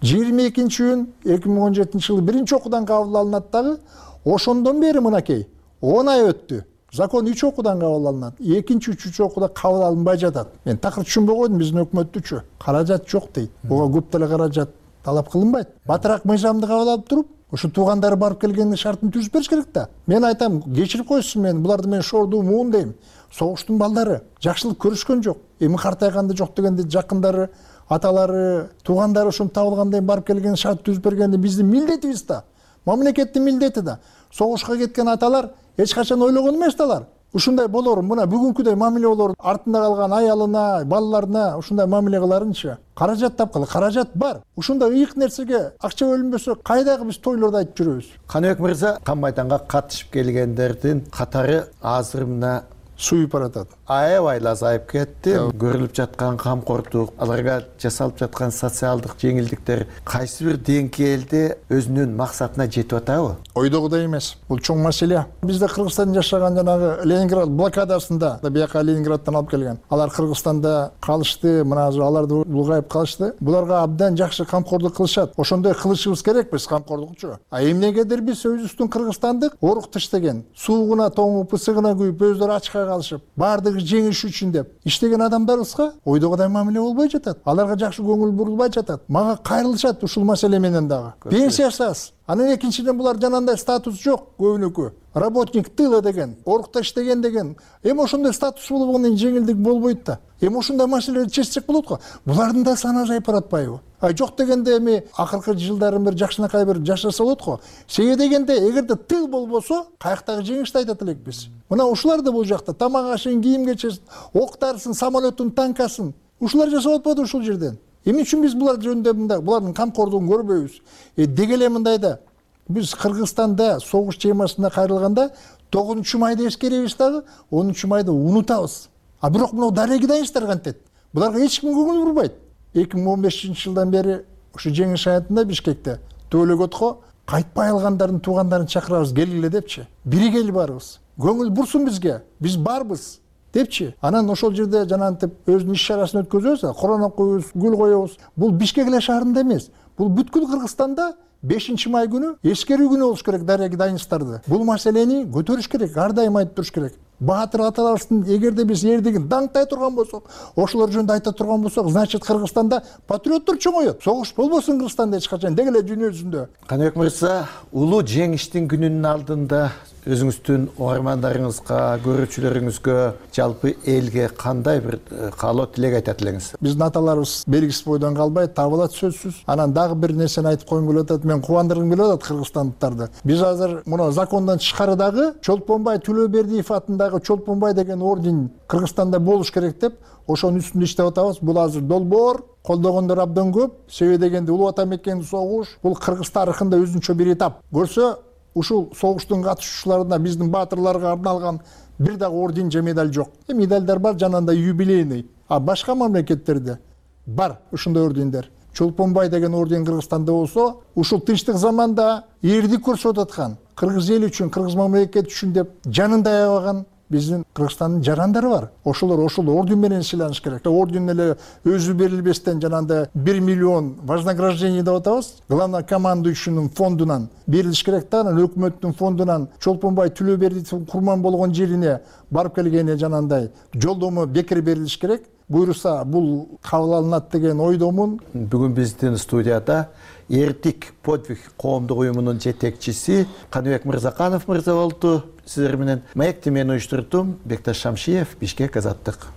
22 июнь 2017-жылы биринчи окуудан кабыл алынат дагы. Ошондон бери мынакей 10 ай өттү. Закон 3 окуудан кабыл алынат. 2-3 окууда кабыл алынбай жатат. Мен такыр түшүнбөй койдум биздин өкмөттүчү. Каражат жок дейт. Буга көп деле каражат талап кылынбайт. Батыраак мыйзамды кабыл алып туруп, ошо туугандары барып келгенде шартын түзүп бериш керек да. Мен айтам, кечирип койсун мени, буларды мен шордуу муун дейм. Согуштун балдары жакшылык көрүшкөн жок. Эми картайганда жок дегенде жакындары, аталары, туугандары ошону табылгандан барып келген шарт түзүп бергенде биздин милдетибиз да. Мамлекеттин милдети да. Согушка кеткен аталар эч качан ойлогон эмес далар. Ушундай болорун, мына бүгүнкүдөй мамиле болорун, артында калган аялына, балаларына ушундай мамиле кыларынчы. Каражат тапкыла, каражат бар. Ушундай ыйык нерсеге акча бөлүнбөсө кайдагы биз тойлорду айтып жүрөбүз. Каныбек мырза, Кан майданга катышып келгендердин катары азыр мына суюп баратат. Аябай азайып кетти. Көрүлүп жаткан камкордук, аларга жасалып жаткан социалдык жеңилдиктер кайсы бир деңгээлде өзүнүн максатына жетип атабы? Ойдогудай эмес. Бул чоң маселе. Бизде Кыргызстанда жашаган жанагы Ленинград блокадасында бияка Ленинградтан алып келген. Алар Кыргызстанда калышты, мына азыр аларды улгайып калышты. Буларга абдан жакшы камкордук кылышат. Ошондой кылышыбыз керек биз камкордукчу. А эмнегедир биз өзүбүздүн кыргызстандык орук тиштеген, суугуна тоңуп, ысыгына күйүп, өздөрү ачка калышып, баардыгы жеңиш үчүн деп иштеген адамдарыбызга ойдогудай мамиле болбой жатат. Аларга жакшы көңүл бурулбай жатат. Мага кайрылышат ушул маселе менен дагы. Пенсиясы аз. Анан экинчиден булар жанагындай статус жок көбүнүкү. Работник тыла деген, орукта иштеген деген. Эми ошондой статус болгондон жеңилдик болбойт да. Эми ошондой маселелерди чечсек болот го. Булардын да саны азайып баратпайбы? Жок дегенде эми акыркы жылдары бир жакшынакай бир жашаса болот го. Себеби дегенде эгерде тыл болбосо, каяктагы жеңишти айтат элек биз. Мына ушулар да бул жакта тамак ашын, кийим кечесин, октарсын, самолеттун, танкасын. Ушулар жасап атпайбы ушул жерден? Эмне үчүн биз булар жөнүндө мындай булардын камкордугун көрбөйбүз? Деги эле мындайда биз Кыргызстанда согуш темасына кайрылганда 9-майда эскеребиз дагы, 10-майда унутабыз. А бирок мына дареги дайынчтар кантет? Буларга эч ким көңүл бурбайт. 2015-жылдан бери ушу жеңиш аянтында Бишкекте Төлөгөткө кайтпай алгандардын туугандарын чакырабыз, келгиле депчи. Биригели барыбыз. Көңүл бурсун бизге. Биз барбыз депчи. Анан ошол жерде жанагынтип өзүнүн иш чарасын өткөзөбүз, корона коебуз, гүл коебуз. Бул Бишкек эле шаарында эмес. Бул бүткүл Кыргызстанда 5-май күнү эскерүү күнү болуш керек дареги дайынчтарды. Бул маселени көтөрүш керек, ар дайым айтып туруш керек. Баатыр аталарыбыздын эгерде биз эрдигин даңктай турган болсок, ошолор жөнүндө айта турган болсок, значит Кыргызстанда патриоттор чоңойот. Согуш болбосун Кыргызстанда эч качан, деги эле дүйнө жүзүндө. Каныбек мырза, улуу жеңиштин күнүнүн алдында өзүңүздүн угармандарыңызга, көрүүчүлөрүңүзгө, жалпы элге кандай бир каалоо тилек айтат элеңиз? Биздин аталарыбыз белгисиз бойдон калбайт, табылат сөзсүз. Анан дагы бир нерсени айтып койгум келип атат, мен кубандыргым келип атат кыргызстандыктарды. Биз азыр муну закондон тышкары дагы Чолпонбай Төлөбердиев атындагы Чолпонбай деген орден Кыргызстанда болуш керек деп, ошонун үстүндө иштеп атабыз. Бул азыр долбоор, колдогондор абдан көп. Себеби дегенде улуу ата мекен согуш бул Кыргыз тарыхында өзүнчө бир этап. Көрсө, ушул согуштун катышуучуларына биздин баатырларга арналган бир дагы орден же медаль жок. Медальдар бар, жанагындай юбилейный. А башка мамлекеттерде бар ушундай ордендер. Чолпонбай деген орден Кыргызстанда болсо, ушул тынчтык заманда эрдик көрсөтүп аткан, кыргыз эли үчүн, кыргыз мамлекети үчүн деп жанында аябаган биздин Кыргызстандын жарандары бар. Ошолор ошол орден менен сыйланыш керек. Орден эле өзү берилбестен жанагындай 1 миллион вознаграждение деп атабыз. Главнокомандующийнин фондунан берилиш керек да, анан өкмөттүн фондунан Чолпонбай Төлөбердиевдин курман болгон жерине барып келгене жанагындай жолдомо бекер берилиш керек. Буйруса бул кабыл алынат деген ойдомун. Бүгүн биздин студияда Эртик подвиг коомдук уюмунун жетекчиси Каныбек Мырзаканов мырза болду. Сиздер менен маекти мен уюштурдум. Бекташ Шамшиев, Бишкек, Азаттык.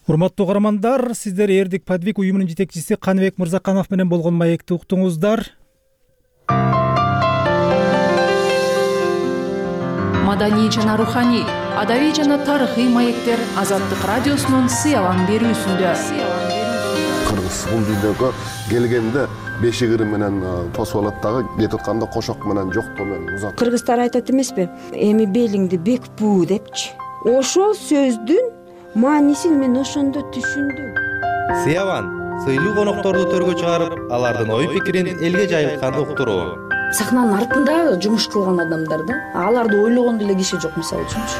Урматтуу каармандар, сиздер Эртик подвиг уюмунун жетекчиси Каныбек Мырзаканов менен болгон маекти уктуңуздар. Маданий жана руханий, адабий жана тарыхый маектер Азаттык радиосунун сыялан берүүсүндө. Кыргыз бул дүйнөгө келгенде бешигири менен тосуп алат дагы, кетип атканда кошок менен жоктоо менен узат. Кыргыздар айтат эмеспи, эми белиңди бек буу депчи. Ошол сөздүн маанисин мен ошондо түшүндүм. Сыябан сыйлуу конокторду төргө чыгарып, алардын ой пикирин элге жайылтканды уктуруу. Сахнанын артында жумуш кылган адамдар да, аларды ойлогон деле киши жок, мисалы үчүнчү.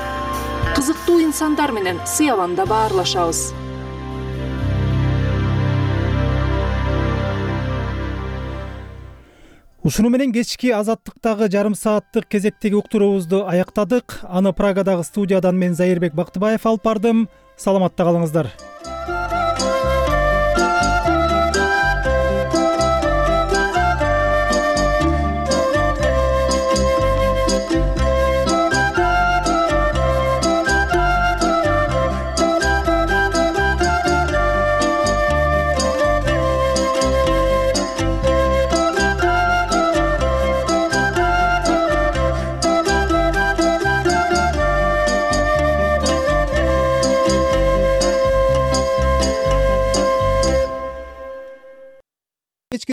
Кызыктуу инсандар менен Сыябанда баарлашабыз. Ушуну менен кечки Азаттыктагы жарым сааттык кезектеги уктуруубузду аяктадык. Аны Прагадагы студиядан мен Зайырбек Бактыбаев алып бардым. Саламатта калыңыздар.